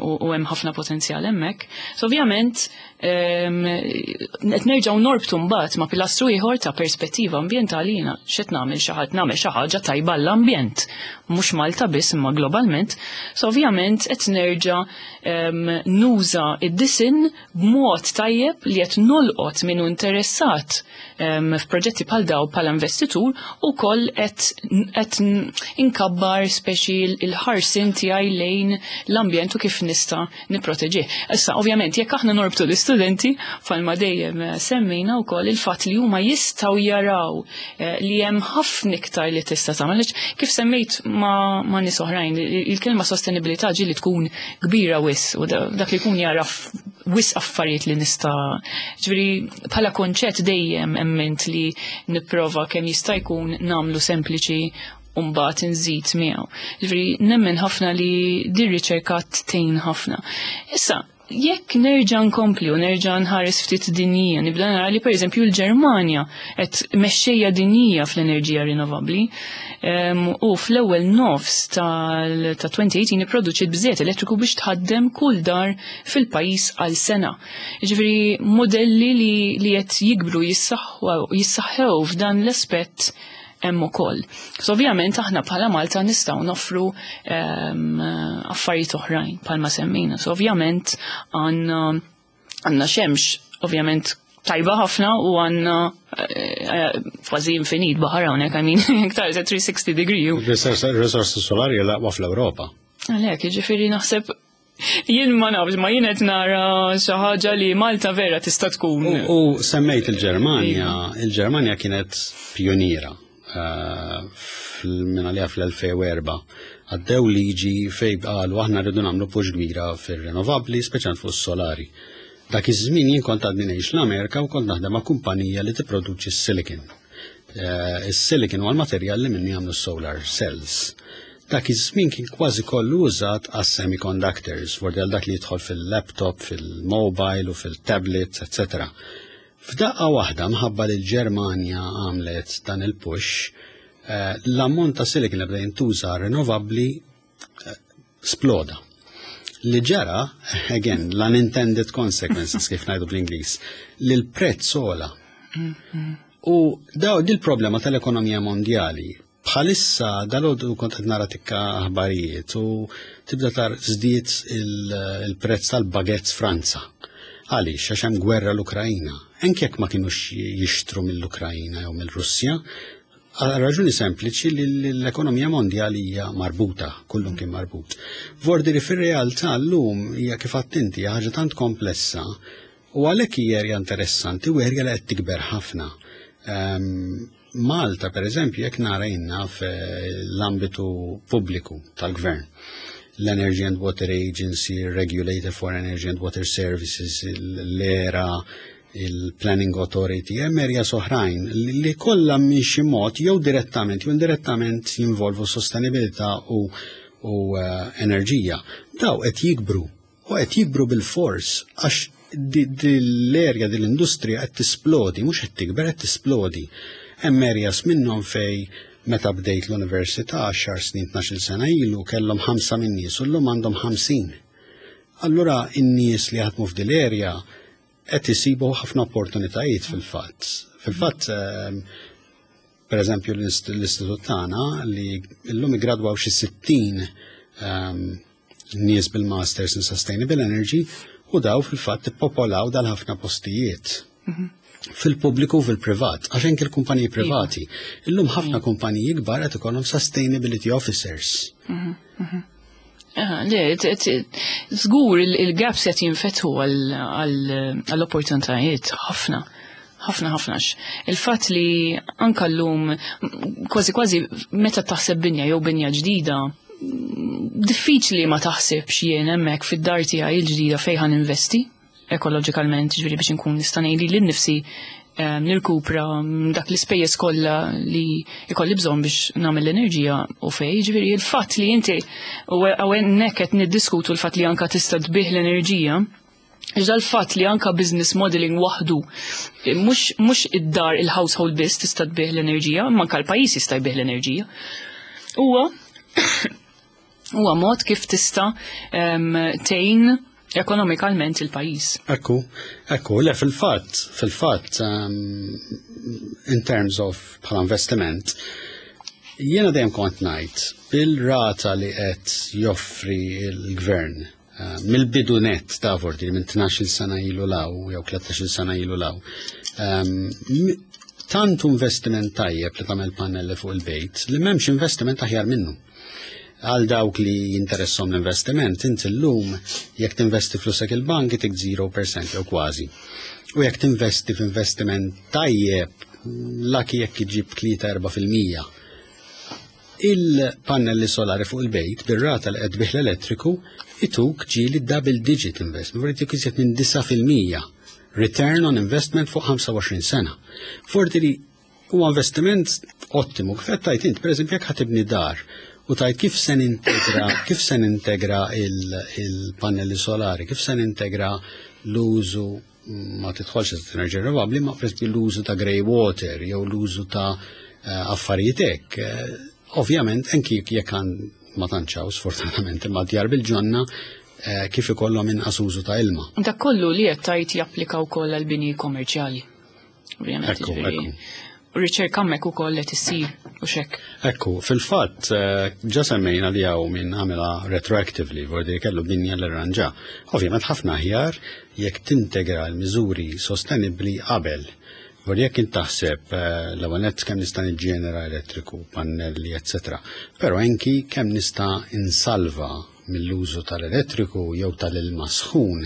Speaker 1: u hemm ħafna potenzjal hemmhekk. So ovvjament qed nerġgħu norbtu mbagħad ma' pilastru ieħor ta' perspettiva ambjentali. Jiena x'qed nagħmel, xi ħadd nagħmel xi ħaġa tajba l-ambjent, mhux Malta biss imma globalment. So ovvjament qed nerġa' nuża id-disin b'mod tajjeb li qed nolqot minnu interessat f'proġetti bħal daw bħala investitur u koll qed inkabbar speċi il-ħarsin tiegħi lejn l-ambjent u kif nista' nipproteġih. Issa, ovvjament, jekk aħna norbtu l-istudenti, bħalma dejjem semmejna wkoll il-fatt li huma jistgħu jaraw li hemm ħafna iktar li tista' tagħmel. Kif semmejt ma' nies oħrajn, il-kelma sostenibilità ġieli tkun kbira wisq u dak li jkun jaraf wisq affarijiet li nista'. Ġifieri bħala konċett dejjem emmint li nipprova kemm jista' jkun nagħmlu sempliċi u mbagħad nżid miegħu. Ġifieri nemmen ħafna li din riċerka tgħin ħafna. Issa, jekk nerġa' nkompli u nerġa' nħares ftit dinjija, nibda nara li, pereżempju, l-Ġermanja qed mexxejja dinjija fl-enerġija rinnovabbli u fl-ewwel nofs ta' 2018 ipproduċiet biżejjed elettriku biex tħaddem kull dar fil-pajjiż għal sena. Ġifieri modelli li qed jikbru, jissaħħew f'dan l-aspett hemm ukoll. So ovvjament aħna bħala Malta nistgħu noffru affarijiet oħrajn bħalma semmejna. So ovvjament għandna xemx ovvjament tajba ħafna u għandna kważi infinit baħar hawnhekk, I mean, iktar 360 degree.
Speaker 2: Risorsi solari l-aqwa fl-Ewropa.
Speaker 1: Għalhekk, jiġifieri naħseb jien ma nafx, ma jien qed nara xi ħaġa li Malta vera tista' tkun.
Speaker 2: U semmejt il-Ġermanja, il-Ġermanja kienet pioniera minn għalija fl-2004. Għaddew liġi fej qalu, "Aħna rridu nagħmlu push kbira fir-rinnovabbli, speċjalment fuq is-solari." Dak iż-żmien jien kont għadni ngħix l-Amerika u kont naħdem ma' kumpanija li tipproduċi s-silicon. Is-silicon huwa l-materjal li minni jagħmlu solar cells. Dak iż-żmien kien kważi kollu użat għas semiconductors, għal dak li jidħol fil-laptop, fil-mobile u fil-tablet, etc. F'daqqa waħda, mħabba li l-Ġermanja għamlet dan il-push, l-ammont ta' silicon li bda jintuża rinnovabbli sploda. Li ġara, again, l-unintended consequences, kif ngħidu bl-Ingliż, li l-prezz għola. U daw dil-problema tal-ekonomija mondjali. Bħalissa dalgħodu kont qed nara tikka aħbarijiet u tibda tar żdied il-prezz tal-baguettes Franza. Għaliex? Għax hemm gwerra l-Ukrajna. Anke jekk ma kinux jixtru mill-Ukrajna jew mill-Russja, għal raġuni sempliċi li l-ekonomija mondjali hija marbuta, kullum kien marbut. Vordiri fir-realtà llum hija kif attenti ħaġa tant komplessa u għalhekk hija erja interessanti u erja li qed tikber ħafna. Malta, per eżempju, jekk nara inna fl-ambitu pubbliku tal-gvern, l-Energy and Water Agency, Regulator for Energy and Water Services, l-ERA, il-Planning Authority, hemm erja oħrajn li kollha minn xi mod jew direttament jew indirettament jinvolvu sostenibilità u enerġija. Daw qed jikbru u qed jikbru bil-fors għax l-erja dil-industrija qed tisplodi, mhux qed tikber, qed tisplodi. Hemm areas minnhom fej meta bdejt l-università 10 snin, 12 sena ilu kellhom 5 min nies u llum għandhom 50. Allura in-nies li jaħdmu f'dil area qed isibu ħafna opportunitajiet fil-fatt. Fil-fatt, per eżempju, l-istitut tagħna li llum iggradwaw xi 60 nies bil-Masters in Sustainable Energy u daw fil-fatt ippopolaw dal-ħafna postijiet. Fil-pubbliku u fil-privat, għax anke l-kumpaniji privati. Illum ħafna kumpaniji kbar qed ikollhom sustainability officers.
Speaker 1: Le, żgur il-gaps qed jinfetħu għall-opportunitajiet ħafna. Ħafna ħafna. Il-fatt li anka llum kważi kważi meta taħseb binja jew binja ġdida, diffiċli ma taħsibx jien hemmhekk fid-dar tiegħi l-ġdida fejn ħa ninvesti ekoloġikalment, ġifieri biex inkun nista' ngħid lili nnifsi nirkupra dak l-ispejjeż kollha li ikolli bżonn biex nagħmel l-enerġija u fej, ġifieri il-fatt li inti u hawnhekk qed niddiskutu l-fatt li anka tista' tbih l-enerġija, Iżda l-fatt li anka business modeling waħdu, mhux id-dar il-household biss tista' tbih l-enerġija, imma anka l-pajjiż jista' jbih l-enerġija. Huwa mod kif tista' tgħin ekonomikalment il-pajjiż.
Speaker 2: Ekku, le fil-fatt, in terms of bħala investiment, jiena dejjem kont ngħid bil-rata li qed joffri l-gvern mill-bidu net ta' vorti minn 12 sena ilu law jew 13 sena ilu law. Tant investiment tajjeb li tagħmel pannelli fuq il-bejt li m'hemmx investiment aħjar minnu. Għal dawk li jinteressom l-investiment, inti llum jekk tinvesti flusek il-bank itik 0% jew kważi. U jekk tinvesti f'investiment tajjeb, laki jekk iġib 3-4%. Il-pannelli solari fuq il-bejt bir-rata li qed bih l-elettriku ituk ġieli double digit investment, vorti ituk iżjed minn 9% return on investment fuq 25 sena. Vorti li huwa investiment ottimu. Kif qed tajt int, pereżempju, jekk ħa tibni dar u tajt kif se nintegra, kif se nintegra il-pannelli solari, kif se nintegra l-użu, ma tidħolx enerġija rinnovabbli, ma pereżempju l-użu ta' grey water jew l-użu ta' affarijiet hekk. Ovvjament, anki jekk għan ma tantxaw, sfortunatament, imma djar bil-ġonna kif ikollhom inqas użu ta' ilma.
Speaker 1: Dak kollu li qed tajt japplika wkoll għal bini kommerċjali. Ovvjament, ġifieri. U riċerka hemmhekk ukoll qed issir u xek.
Speaker 2: Ekku, fil-fatt, ġa semmejna li hawn min għamilha retroactively, vordi kellu binja l-ranġa. Ovvjament ħafna aħjar jekk tintegra l-miżuri sostenibbli qabel. Vordi jekk int taħseb l-ewwel nett kemm nista' niġġenera elettriku, pannelli, eccetera. Però anki kemm nista' insalva mill-użu tal-elettriku jew tal-ilma sħun.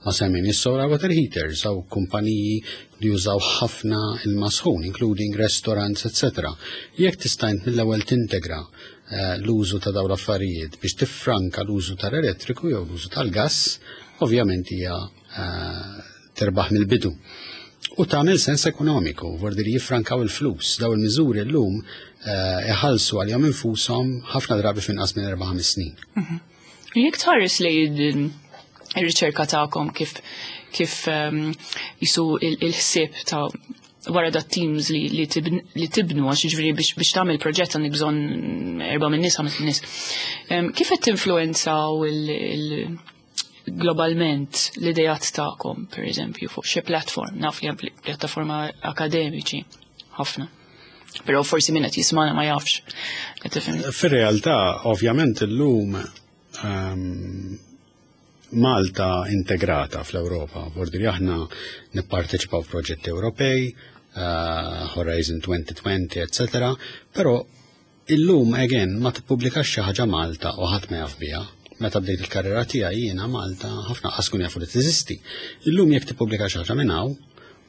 Speaker 2: Ma semmejn is-solar water heaters aw kumpaniji li jużaw ħafna ilma sħun, including restaurants, eccetera. Jekk tista' int mill-ewwel tintegra l-użu ta' dawn l-affarijiet biex tiffranka l-użu tal-elettriku jew l-użu tal-gass, ovvjament hija terbaħ mill-bidu. U tagħmel sens ekonomiku, vordi li jiffrankaw il-flus. Daw il-miżuri llum iħallsu għalihom infushom ħafna drabi f'inqas minn 4-5 snin.
Speaker 1: Jekk tħares li ir-riċerka tagħkom kif jisu il-ħsieb ta' wara da teams li tibnu, għax jiġifieri biex tagħmel proġett għandek bżonn 4 minn nies, 5 minn nies. Kif qed tinfluwenzaw globalment l-idejat tagħkom, per eżempju, fuq xi platform, naf li hemm pjattaforma akademiċi ħafna. Però forsi min qed jismana ma jafx.
Speaker 2: Fir-realtà, ovvjament illum Malta integrata fl-Ewropa, vordiri aħna nipparteċipaw f'proġetti Ewropej, Horizon 2020, etc. Però illum again ma tippubblikax xi ħaġa Malta u ħadd ma jaf biha. Meta bdejt il-karriera tiegħi jiena Malta ħafna qas kun jafu li teżisti. Illum jekk tippubblika xi ħaġa minn hawn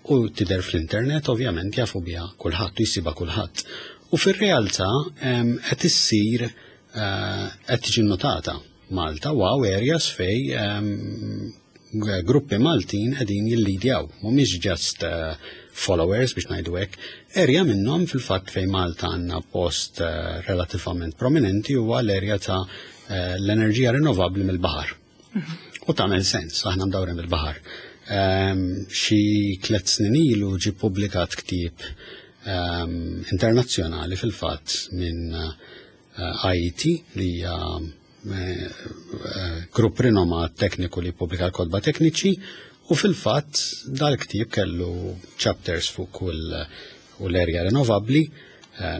Speaker 2: u tidher fl-internet ovvjament jafu biha kulħadd u jsibha kulħadd. U fir-realtà qed issir qed tiġi notata Malta u hawn areas fej gruppi Maltin qegħdin jillidjaw, mhumiex just followers biex ngħidu hekk. Area minnhom fil-fatt fejn Malta għandna post relativament prominenti huwa l-area ta' l-enerġija rinnovabbli mill-baħar. U tagħmel sens, aħna mdawrin bil-baħar. Xi 3 snin ilu ġie ppubblikat ktieb internazzjonali fil-fatt minn IET li hija grupp rinomat tekniku li ppubblika l-kotba tekniċi u fil-fatt dal-ktieb kellu chapters fuq kull u l-erja rinnovabbli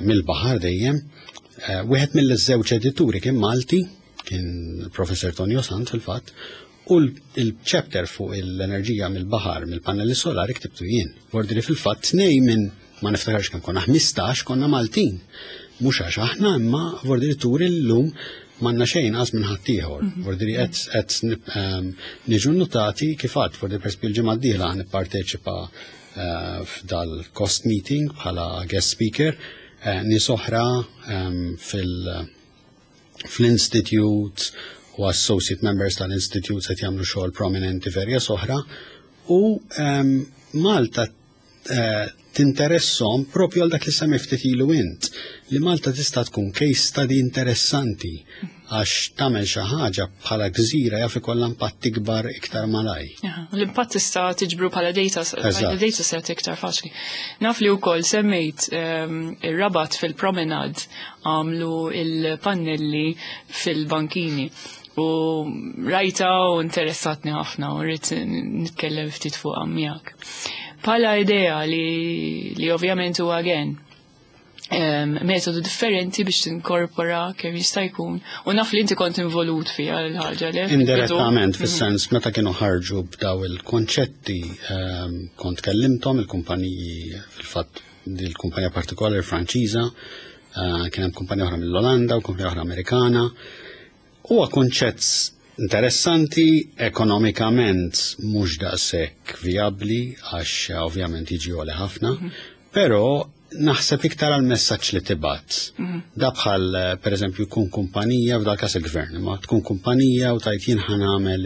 Speaker 2: mill-baħar dejjem. Wieħed mill-żewġ edituri kien Malti, kien Professor Tonio Sant fil-fatt, u l-chapter fuq l-enerġija mill-baħar mill-pannelli solari ktibtu jien. Vordiri fil-fatt tnej minn ma niftakarx kemm konna 15 konna Maltin. Mhux għax aħna imma vordiri turi llum m'għandna xejn qas minn ħaddieħor. Vordiri qed niġu notati kif għad, vordiri per l-ġimgħa d-dieħla nipparteċipa f'dal-cost meeting bħala guest speaker, nies oħra fl-institute u associate members tal-institute se jagħmlu xogħol prominenti f'areas oħra u Malta tinteressom propju għal dak li semmi ftit ilu int, li Malta tista' tkun case study interessanti għax tagħmel xi ħaġa bħala gżira jaf ikollha impatt ikbar iktar malaj.
Speaker 1: L-impatt tista' tiġbru bħala data, data set iktar faċli. Naf li wkoll semmejt ir-Rabat fil-promenade għamlu il-pannelli fil-bankini u rajta u interessatni ħafna u rrid nitkellem ftit fuq miegħek. Bħala idea li ovvjament huwa again metodu differenti biex tinkorpora kemm jista' jkun. U naf li inti kont involut fiha l-ħaġa le?
Speaker 2: Indirettament, fis-sens meta kienu ħarġu b'daw il-konċetti, kont kellimthom il-kumpaniji, fil-fatt il-kumpanija partikolari Franċiża, kien hemm kumpanija oħra mill-Olanda u kumpanija oħra Amerikana. Huwa konċett interessanti, ekonomikament mhux daqshekk vijabbli għax ovvjament jiġi għoli ħafna, però naħseb iktar għal messaġġ li tibgħat. Da bħal per eżempju tkun kumpanija, f'dal każ il-gvern, ma tkun kumpanija u tajt jien ħa nagħmel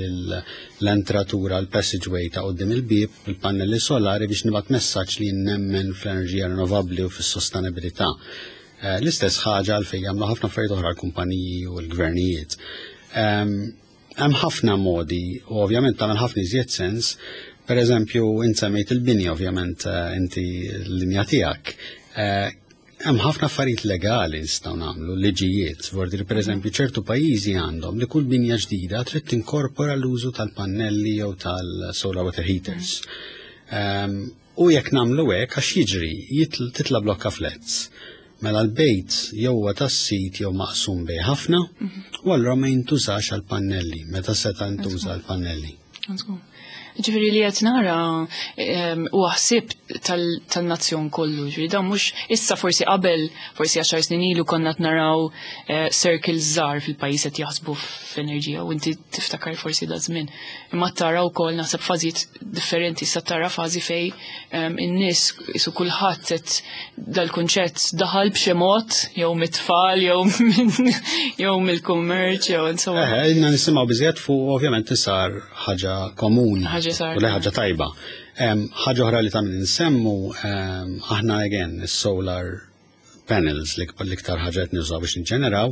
Speaker 2: l-entratura, l-passageway ta' quddiem il-bieb bil-pannelli solari biex nibgħat messaġġ li nemmen fl-enerġija rinnovabbli u fis-sostenibilità. L-istess ħaġa għalfejn jagħmlu ħafna affarijiet oħra l-kumpaniji u l-gvernijiet. Hemm ħafna modi u ovvjament tagħmel ħafna iżjed sens. Per eżempju, int semmejt il-bini, ovvjament inti l-linja tiegħek. Hemm ħafna affarijiet legali nistgħu nagħmlu, liġijiet, vordiri per eżempju ċertu pajjiżi għandhom li kull binja ġdida trid tinkorpora l-użu tal-pannelli jew tal-solar water heaters. U jekk nagħmlu hekk għax jiġri titla' blokka flats. Mela l-bejt jew huwa tas-sit jew maqsum bej ħafna, u allura ma jintużax għall-pannelli, meta seta' ntuża għall-pannelli.
Speaker 1: Ġifieri li qed nara huwa ħsieb tan-nazzjon kollu, ġifieri dan mhux issa forsi qabel, forsi 10 snin ilu konna qed naraw circles żgħar fil-pajjiż qed jaħsbu f'enerġija u inti tiftakar forsi da żmien. Imma tara wkoll naħseb fażijiet differenti, issa tara fażi fej in-nies isu kulħadd qed dal-kunċett daħal b'xi mod jew mit-tfal jew mill-kummerċ jew insomma.
Speaker 2: Inna nisimgħu biżjed fuq ovvjament sar ħaġa komuni.
Speaker 1: Ħaġa sar.
Speaker 2: U ħaġa tajba. Ħaġa oħra li tagħmel insemmu, aħna again is-solar panels li l-iktar ħaġa qed nużaw biex niġġeneraw,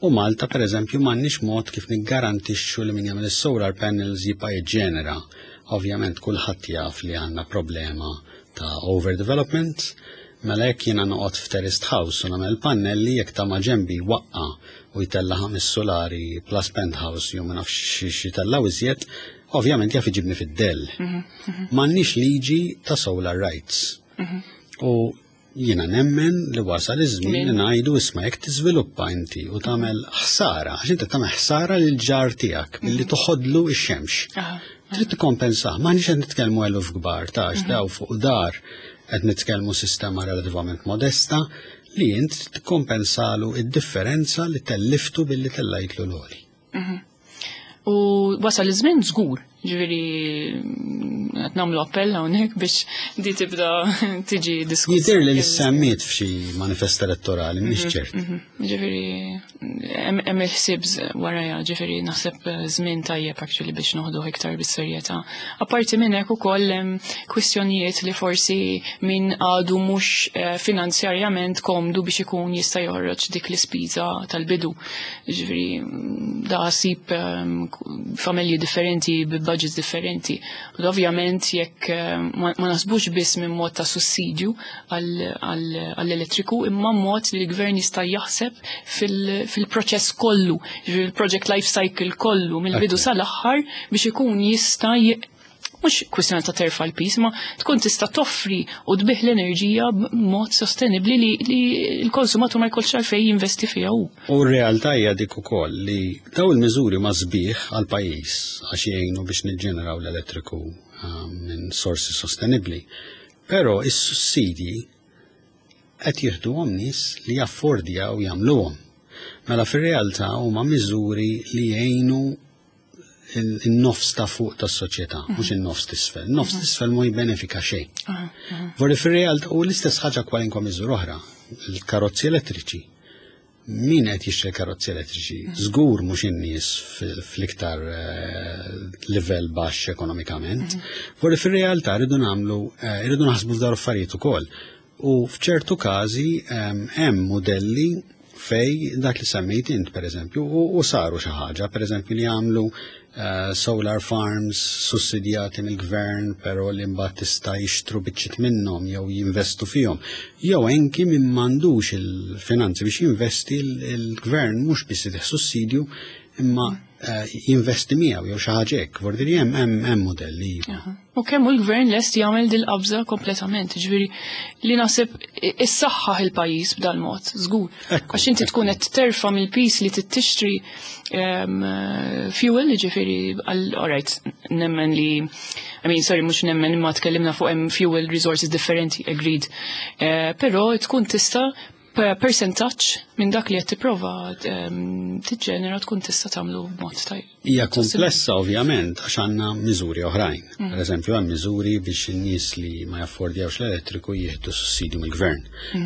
Speaker 2: u Malta per eżempju m'għandniex mod kif niggarantixxu li min jagħmel is-solar panels jibqa' jiġġenera. Ovvjament kulħadd jaf li għandna problema ta' overdevelopment, mela jekk jiena noqgħod f'terraced house u nagħmel pannelli jekk ta' ma' ġenbi waqqa u jtella' 5 solari plus penthouse jew ma nafx xi jtellaw iżjed, ovvjament jaf iġibni fid-dell. M'għandniex liġi ta' solar rights. U Jiena nemmen li wasal iż-żmien li ngħidu isma' jekk tiżviluppa inti u tagħmel ħsara, għax inti tagħmel ħsara lil ġar tiegħek billi toħodlu x-xemx. Trid tikkompensah, m'aħniex qed nitkellmu eluf kbar ta' għax daw fuq dar qed nitkellmu sistema relativament modesta li int tikkompensalu id-differenza li telliftu billi tellajtlu l-għoli.
Speaker 1: U wasal iż-żmien żgur, ġifieri qed nagħmlu appell hawnhekk biex di tibda tiġi diskussa.
Speaker 2: Jidher li semmiet f'xi manifest elettorali, mhix ċert.
Speaker 1: Ġifieri hemm il-ħsieb warajha, ġifieri naħseb żmien tajjeb actually biex noħdu iktar bis-serjetà. Apparti minn hekk ukoll hemm kwistjonijiet li forsi min għadu mhux finanzjarjament komdu biex ikun jista' joħroġ dik l-ispiża tal-bidu. Ġifieri da ssib familji differenti b'budgets differenti. U ovvjament jekk ma naħsbux biss minn mod ta' sussidju għall-elettriku, imma mod li l-gvern jista' jaħseb fil-proċess kollu, ġifieri il-project life cycle kollu mill-bidu sal-aħħar biex ikun jista' mhux kwistjoni ta' terfa' l-piż, ma tkun tista' toffri u tbigħ l-enerġija b'mod sostenibbli li l-konsumatur ma jkollx għalfejn jinvesti fiha hu.
Speaker 2: U r-realtà hija dik ukoll li daw il-miżuri ma sbieħ għal pajjiż għax jgħinu biex niġġeneraw l-elettriku minn sorsi sostenibbli. Però is-sussidji qed jieħduhom nies li jaffordjaw jagħmluhom. Mela fir-realtà huma miżuri li jgħinu in-nofs ta' fuq tas-soċjetà, mhux in-nofs t'isfel. Nofs t'isfel ma jibbenefika xejn. Vorri fir-realtà u l-istess ħaġa kwalinkwa miżura oħra, il-karozzi elettriċi. Min qed jixtri karozzi elettriċi? Żgur mhux in-nies fl-iktar livell baxx ekonomikament. Vorri fir-realtà rridu nagħmlu, rridu naħsbu f'dawn affarijiet ukoll. U f'ċertu każi hemm modelli fej dak li semmejt int pereżempju u saru xi ħaġa, pereżempju li jagħmlu solar farms sussidjati mill-gvern, però li mbagħad tista' jixtru biċċiet minnhom jew jinvestu fihom. Jew anki min m'għandux il-finanzi biex jinvesti, il-gvern mhux biss jtih sussidju imma jinvesti miegħu jew xi ħaġa hekk. Vordi hemm modelli.
Speaker 1: U kemm hu l-gvern lest jagħmel dil-qabża kompletament, ġifieri li naħseb issaħħaħ il-pajjiż b'dal-mod, żgur. Għax inti tkun qed terfa' mill-piż li tixtri fuel, ġifieri all right, nemmen li, I mean, sorry, mhux nemmen imma tkellimna fuq hemm fuel resources differenti, agreed. Però tkun tista' percentaġġ minn dak li qed tipprova tiġġenera tkun tista' tagħmlu b'mod tajjeb.
Speaker 2: Hija komplessa ovvjament għax għandna miżuri oħrajn. Per eżempju hemm miżuri biex in-nies li ma jaffordjawx l-elettriku jieħdu sussidju mill-gvern.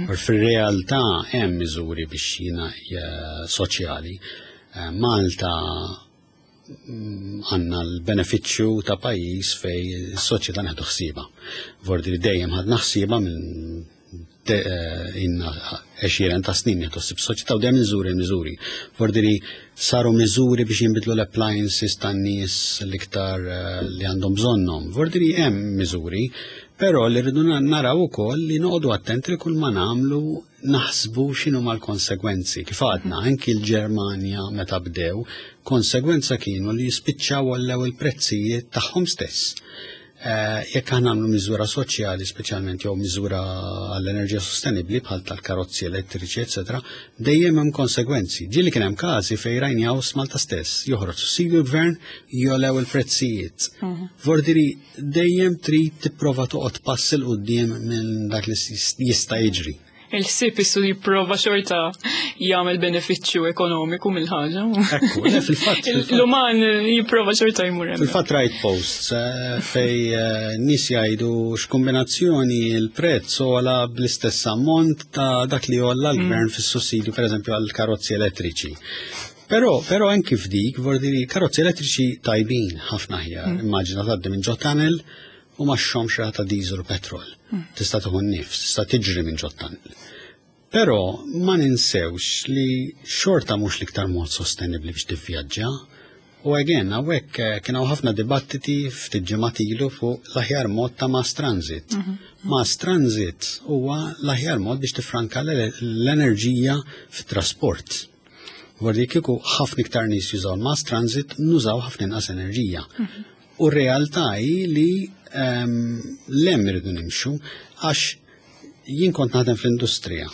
Speaker 2: U fir-realtà hemm miżuri biex jiena soċjali. Malta għandna l-benefiċċju ta' pajjiż fej is-soċjetà neħdu ħsieba. Vordi li dejjem ħadna ħsieba minn inna 20 ta' snin nieħdu ħsieb soċjetà u dejjem miżuri miżuri. Vordi li saru miżuri biex jinbidlu l-appliances tan-nies l-iktar li għandhom bżonnhom. Vordi li hemm miżuri, però li rridu naraw ukoll li noqogħdu attenti li kull ma nagħmlu naħsbu x'inhu mal-konsegwenzi. Kif għadna, anki l-Ġermanja meta bdew, konsegwenza kienu li jispiċċaw għollew il-prezzijiet tagħhom stess. Jekk aħna nagħmlu miżura soċjali, speċjalment jew miżura għall-enerġija sostenibbli bħal tal-karozzi elettriċi, eċetera, dejjem hemm konsegwenzi. Ġieli kien hemm każi fejn rajni Malta stess joħroġ sussidju l-gvern jolew il-prezzijiet. Vordiri dejjem trid tipprova toqgħod pass 'il quddiem minn dak li jista' jiġri.
Speaker 1: Il-ħsieb issu jipprova xorta jagħmel benefiċċju ekonomiku mill-ħaġa.
Speaker 2: Ekku, le, fil-fatt, fil-fatt.
Speaker 1: L-uman jipprova xorta jmur hemm.
Speaker 2: Fil-fatt rajt posts fej nies jgħidu x'kombinazzjoni il-prezz ogħla bl-istess ammont ta' dak li għolla l-gvern fis-sussidju, pereżempju għall-karozzi elettriċi. Però anki f'dik, vordi karozzi elettriċi tajbin ħafna aħjar. Immaġina tgħaddi minn ġo tunnel u ma xxommx riħa ta' diesel u petrol. Tista' tieħu n-nifs, tista' tiġri minn ġo tunnel. Però ma ninsewx li xorta mhux l-iktar mod sostenibbli biex tivvjaġġa. U again, hawnhekk kien hawn ħafna dibattiti ftit ġimgħat ilu fuq l-aħjar mod ta' mass transit. Mass transit huwa l-aħjar mod biex tifranka l-enerġija fit-trasport. Vordi kieku ħafna iktar nies jużaw mass transit, nużaw ħafna inqas enerġija. U r-realtà hi li lem irridu nimxu għax Jien kont naħdem fl-industrija.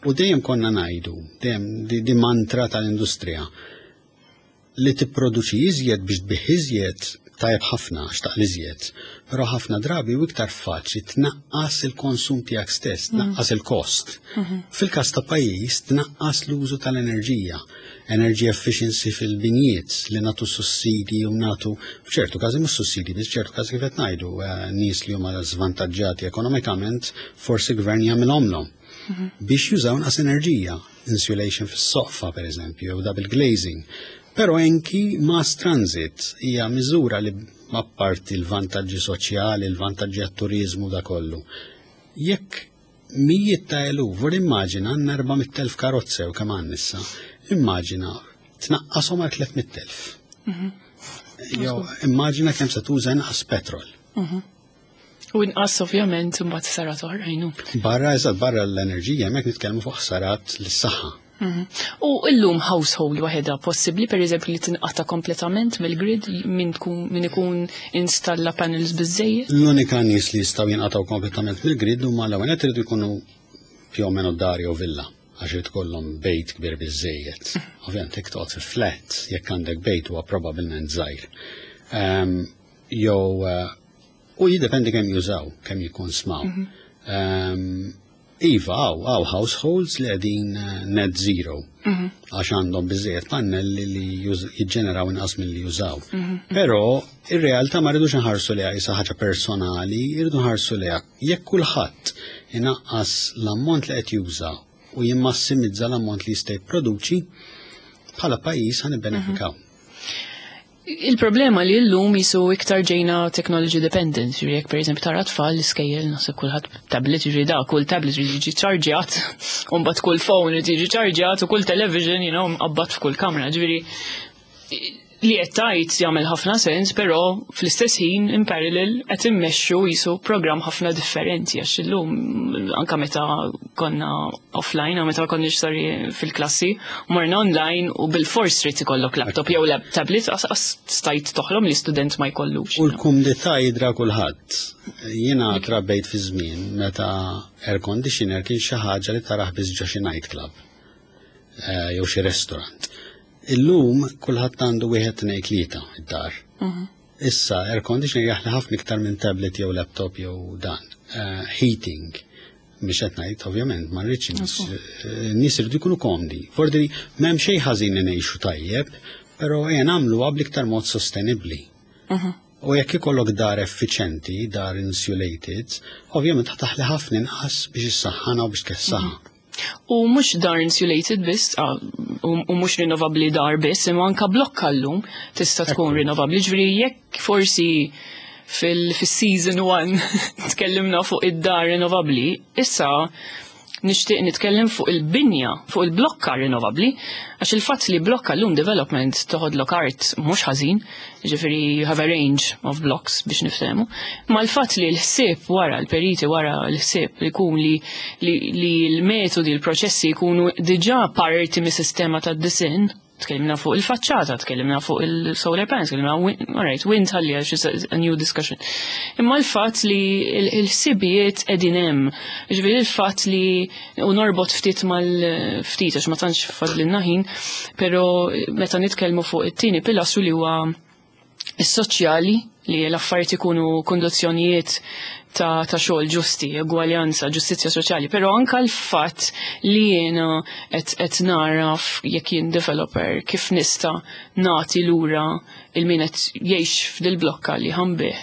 Speaker 2: U dejjem konna ngħidu, dejjem di mantra tal-industrija li tipproduċi iżjed biex tbigħ iżjed tajjeb ħafna għax taqla' iżjed, però ħafna drabi u iktar faċli tnaqqas il-konsum tiegħek stess, tnaqqas il-kost. Fil-każ ta' pajjiż tnaqqas l-użu tal-enerġija, energy efficiency fil-binjiet li nagħtu sussidi u nagħtu f'ċertu każi mhux sussidi, biss ċertu każi kif qed ngħidu nies li huma żvantaġġati ekonomikament forsi gvern jagħmilhomlhom biex jużaw inqas enerġija, insulation fis-soqfa per eżempju, jew double glazing. Però anki mass transit hija miżura li apparti l-vantaġġi soċjali, l-vantaġġi għat-turizmu da kollu. Jekk mijiet ta' eluf, vor immaġina għandna 400,000 karozze u kemm għandna issa, immaġina tnaqqashom għal 300,000. Jew immaġina kemm se tuża inqas petrol.
Speaker 1: U inqas ovvjament imbagħad ħsarat oħrajn.
Speaker 2: Barra eżatt, barra l-enerġija, hemmhekk nitkellmu fuq ħsarat lis-saħħa.
Speaker 1: U illum household waħedha possibbli pereżempju li tinqata' kompletament mill-grid min ikun installa panels biżejjed?
Speaker 2: L-unika nies li jistgħu jinqatgħu kompletament mill-grid huma l-ewwel qed iridu jkunu più o meno dar jew villa għax irid ikollhom bejt kbir biżejjed. Ovvjament jekk toqgħod fi flat, jekk għandek bejt huwa probabbilment żgħir. Jew u jiddependi kemm jużaw, kemm jikkonsmaw. Iva, hawn households li qegħdin net zero. Għax għandhom biżejjed pannelli li jiġġeneraw inqas milli jużaw. Però ir-realtà ma rridux nħarsu liha isa ħaġa personali, irridu nħarsu liha jekk kulħadd inaqqas l-ammont li qed juża u jimmassimizza l-ammont li jista' jipproduċi, bħala pajjiż ħa nibbenefikaw.
Speaker 1: Il-problema li l-lum jisu iktar ġejna technology dependent, ġifieri jekk per eżempju tara tfal l-iskejjel naħseb kulħadd tablet, ġifieri da kull tablet ġifieri jiġi ċarġjat, u mbagħad kull phone irid jiġi ċarġjat u kull television, mqabbad f'kull kamra, ġifieri li qed tgħid jagħmel ħafna sens, però fl-istess ħin in parallel qed immexxu jisu programm ħafna differenti għax illum anka meta konna offline, meta konniex sorry fil-klassi, morna online u bil-fors trid ikollok laptop jew tablet għas stajt toħlom li student ma jkollux.
Speaker 2: U l-kumdità jidra kulħadd. Jiena trabbejt fi żmien meta air conditioner kien xi ħaġa li taraħ biss ġo xi nightclub jew xi restaurant. Illum kulħadd għandu wieħed tnejn tlieta id-dar. Issa air conditioner jaħli ħafna iktar minn tablet jew laptop jew dan. Heating. Biex qed ngħid ovvjament ma rridx nies iridu jkunu komdi. Forsi m'hemm xejn ħażin li ngħixu tajjeb, però ejja nagħmluha bl-iktar mod sostenibbli. U jekk ikollok dar effiċenti, dar insulated, ovvjament taħli ħafna inqas biex issaħħana u biex tkessaħha.
Speaker 1: U mhux dar insulated biss, u mhux rinnovabbli dar biss, imma anka blokka llum tista' tkun rinnovabbli. Ġifieri jekk forsi fil-season 1 tkellimna fuq id-dar rinnovabbli, issa nixtieq nitkellem fuq il-binja, fuq il-blokka rinnovabbli, għax il-fatt li blokka llum development toħodlok art mhux ħażin, ġifieri you have a range of blocks biex niftehmu, ma l-fatt li l-ħsieb wara, l-periti wara l-ħsieb li jkun li l-metodi, l-proċessi jkunu diġà parti mis-sistema tad-disinn, tkellimna fuq il-faċċata, tkellimna fuq il-solar panels, tkellimna all right, wind ħalli għax it's a new discussion. Imma l-fatt li il-ħsibijiet qegħdin hemm, ġifieri il-fatt li u norbot ftit mal-ftit għax ma tantx fadlilna ħin, però meta nitkellmu fuq it-tieni pilastru li huwa is-soċjali, li l-affarijiet ikunu kondizzjonijiet ta' xogħol ġusti, egwaljanza, ġustizzja soċjali, però anka l-fatt li jiena qed naraf jekk jien developer kif nista' nagħti lura il-min qed jgħix f'dil-blokka li ħambih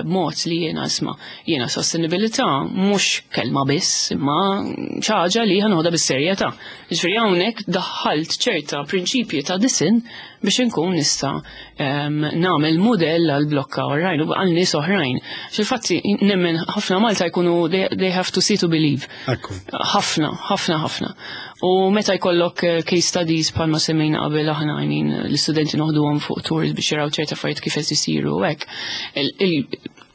Speaker 1: b'mod li jiena isma' jiena sostenibilità mhux kelma biss, imma xi ħaġa li ħanoħodha bis-serjetà. Ġifieri hawnhekk daħħalt ċerta prinċipji ta' disinn biex inkun nista' nagħmel mudell għal blokka oħrajn u għal nies oħrajn. Fil-fatt nemmen ħafna Malta jkunu they have to see to believe. Ħafna, ħafna, ħafna. U meta jkollok case studies bħalma semmejna qabel aħna, l-istudenti noħduhom fuq tours biex jaraw ċerta affarijiet kif qed isiru u hekk.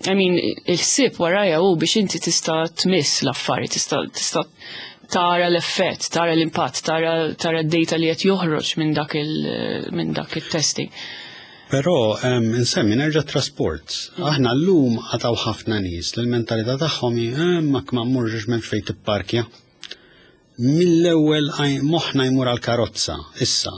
Speaker 1: Il-ħsieb warajja hu biex inti tista' tmiss l-affarijiet, tista' tara l-effett, tara l-impatt, tara d-data li qed joħroġ minn dak il-testing.
Speaker 2: Però insemmi nerġa' trasport. Aħna llum għataw ħafna nies li l-mentalità tagħhom hi ma ma mmurx m'hemmx fejn tipparkja. Mill-ewwel moħħna jmur għal karozza. Issa,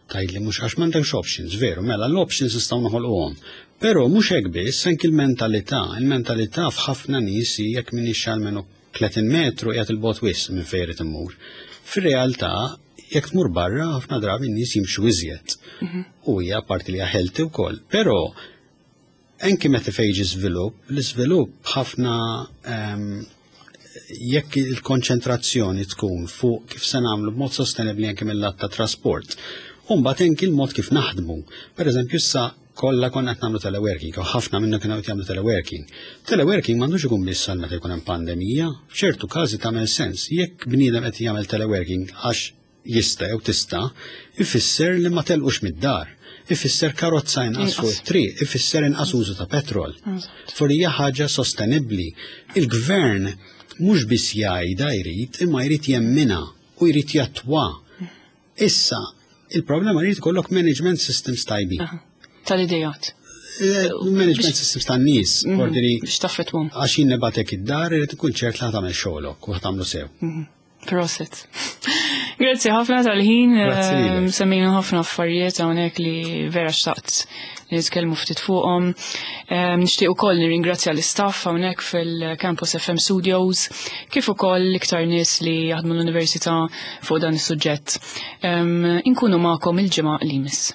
Speaker 2: tgħidli mhux għax m'għandekx options, veru, mela l-options nistgħu noħolquhom. Però mhux hekk biss, anki l-mentalità, il-mentalità f'ħafna nies hi jekk m'iniex almenu 30 metru qiegħed il-bogħod wisq minn fejn irid immur. Fir-realtà, jekk tmur barra, ħafna drabi n-nies jimxu iżjed. U hija parti li hija healthy wkoll. Però anki meta fejn jiġi żvilupp, l-iżvilupp ħafna jekk il-konċentrazzjoni tkun fuq kif se nagħmlu b'mod sostenibbli anke mill-lat ta' trasport. U mbagħad anki l-mod kif naħdmu. Per eżempju, issa kollha konna qed nagħmlu teleworking, u ħafna minna kienu qed jagħmlu teleworking. Teleworking m'għandux ikun biss għal meta jkun hemm pandemija, f'ċertu każi tagħmel sens. Jekk bniedem qed jagħmel teleworking għax jista' jew tista', ifisser li ma telqux mid-dar. Ifisser karozza inqas fuq it-triq, ifisser inqas użu ta' petrol. Forsi hija ħaġa sostenibbli. Il-gvern mhux biss jgħidha jrid, imma jrid jemminha u jrid jattwa. Issa, il-problema jrid ikollok management systems tajbin.
Speaker 1: Tal-idejat.
Speaker 2: Management systems tan-nies, ordini
Speaker 1: Biex taffetwhom.
Speaker 2: Għax jien nibgħatek id-dar irid ikun ċert li ħa tagħmel xogħlok u ħa tagħmlu sew.
Speaker 1: Prosit. Grazzi ħafna tal-ħin,
Speaker 2: Grazzi lilek.
Speaker 1: Semmejna ħafna affarijiet hawnhekk li vera xtaqt li nitkellmu ftit fuqhom. Nixtieq ukoll nirringrazzja l-istaff hawnhekk fil-Campus FM Studios, kif ukoll l-iktar nies li jaħdmu l-università fuq dan is-suġġett. Inkunu magħkom il-ġimgħa li jmiss.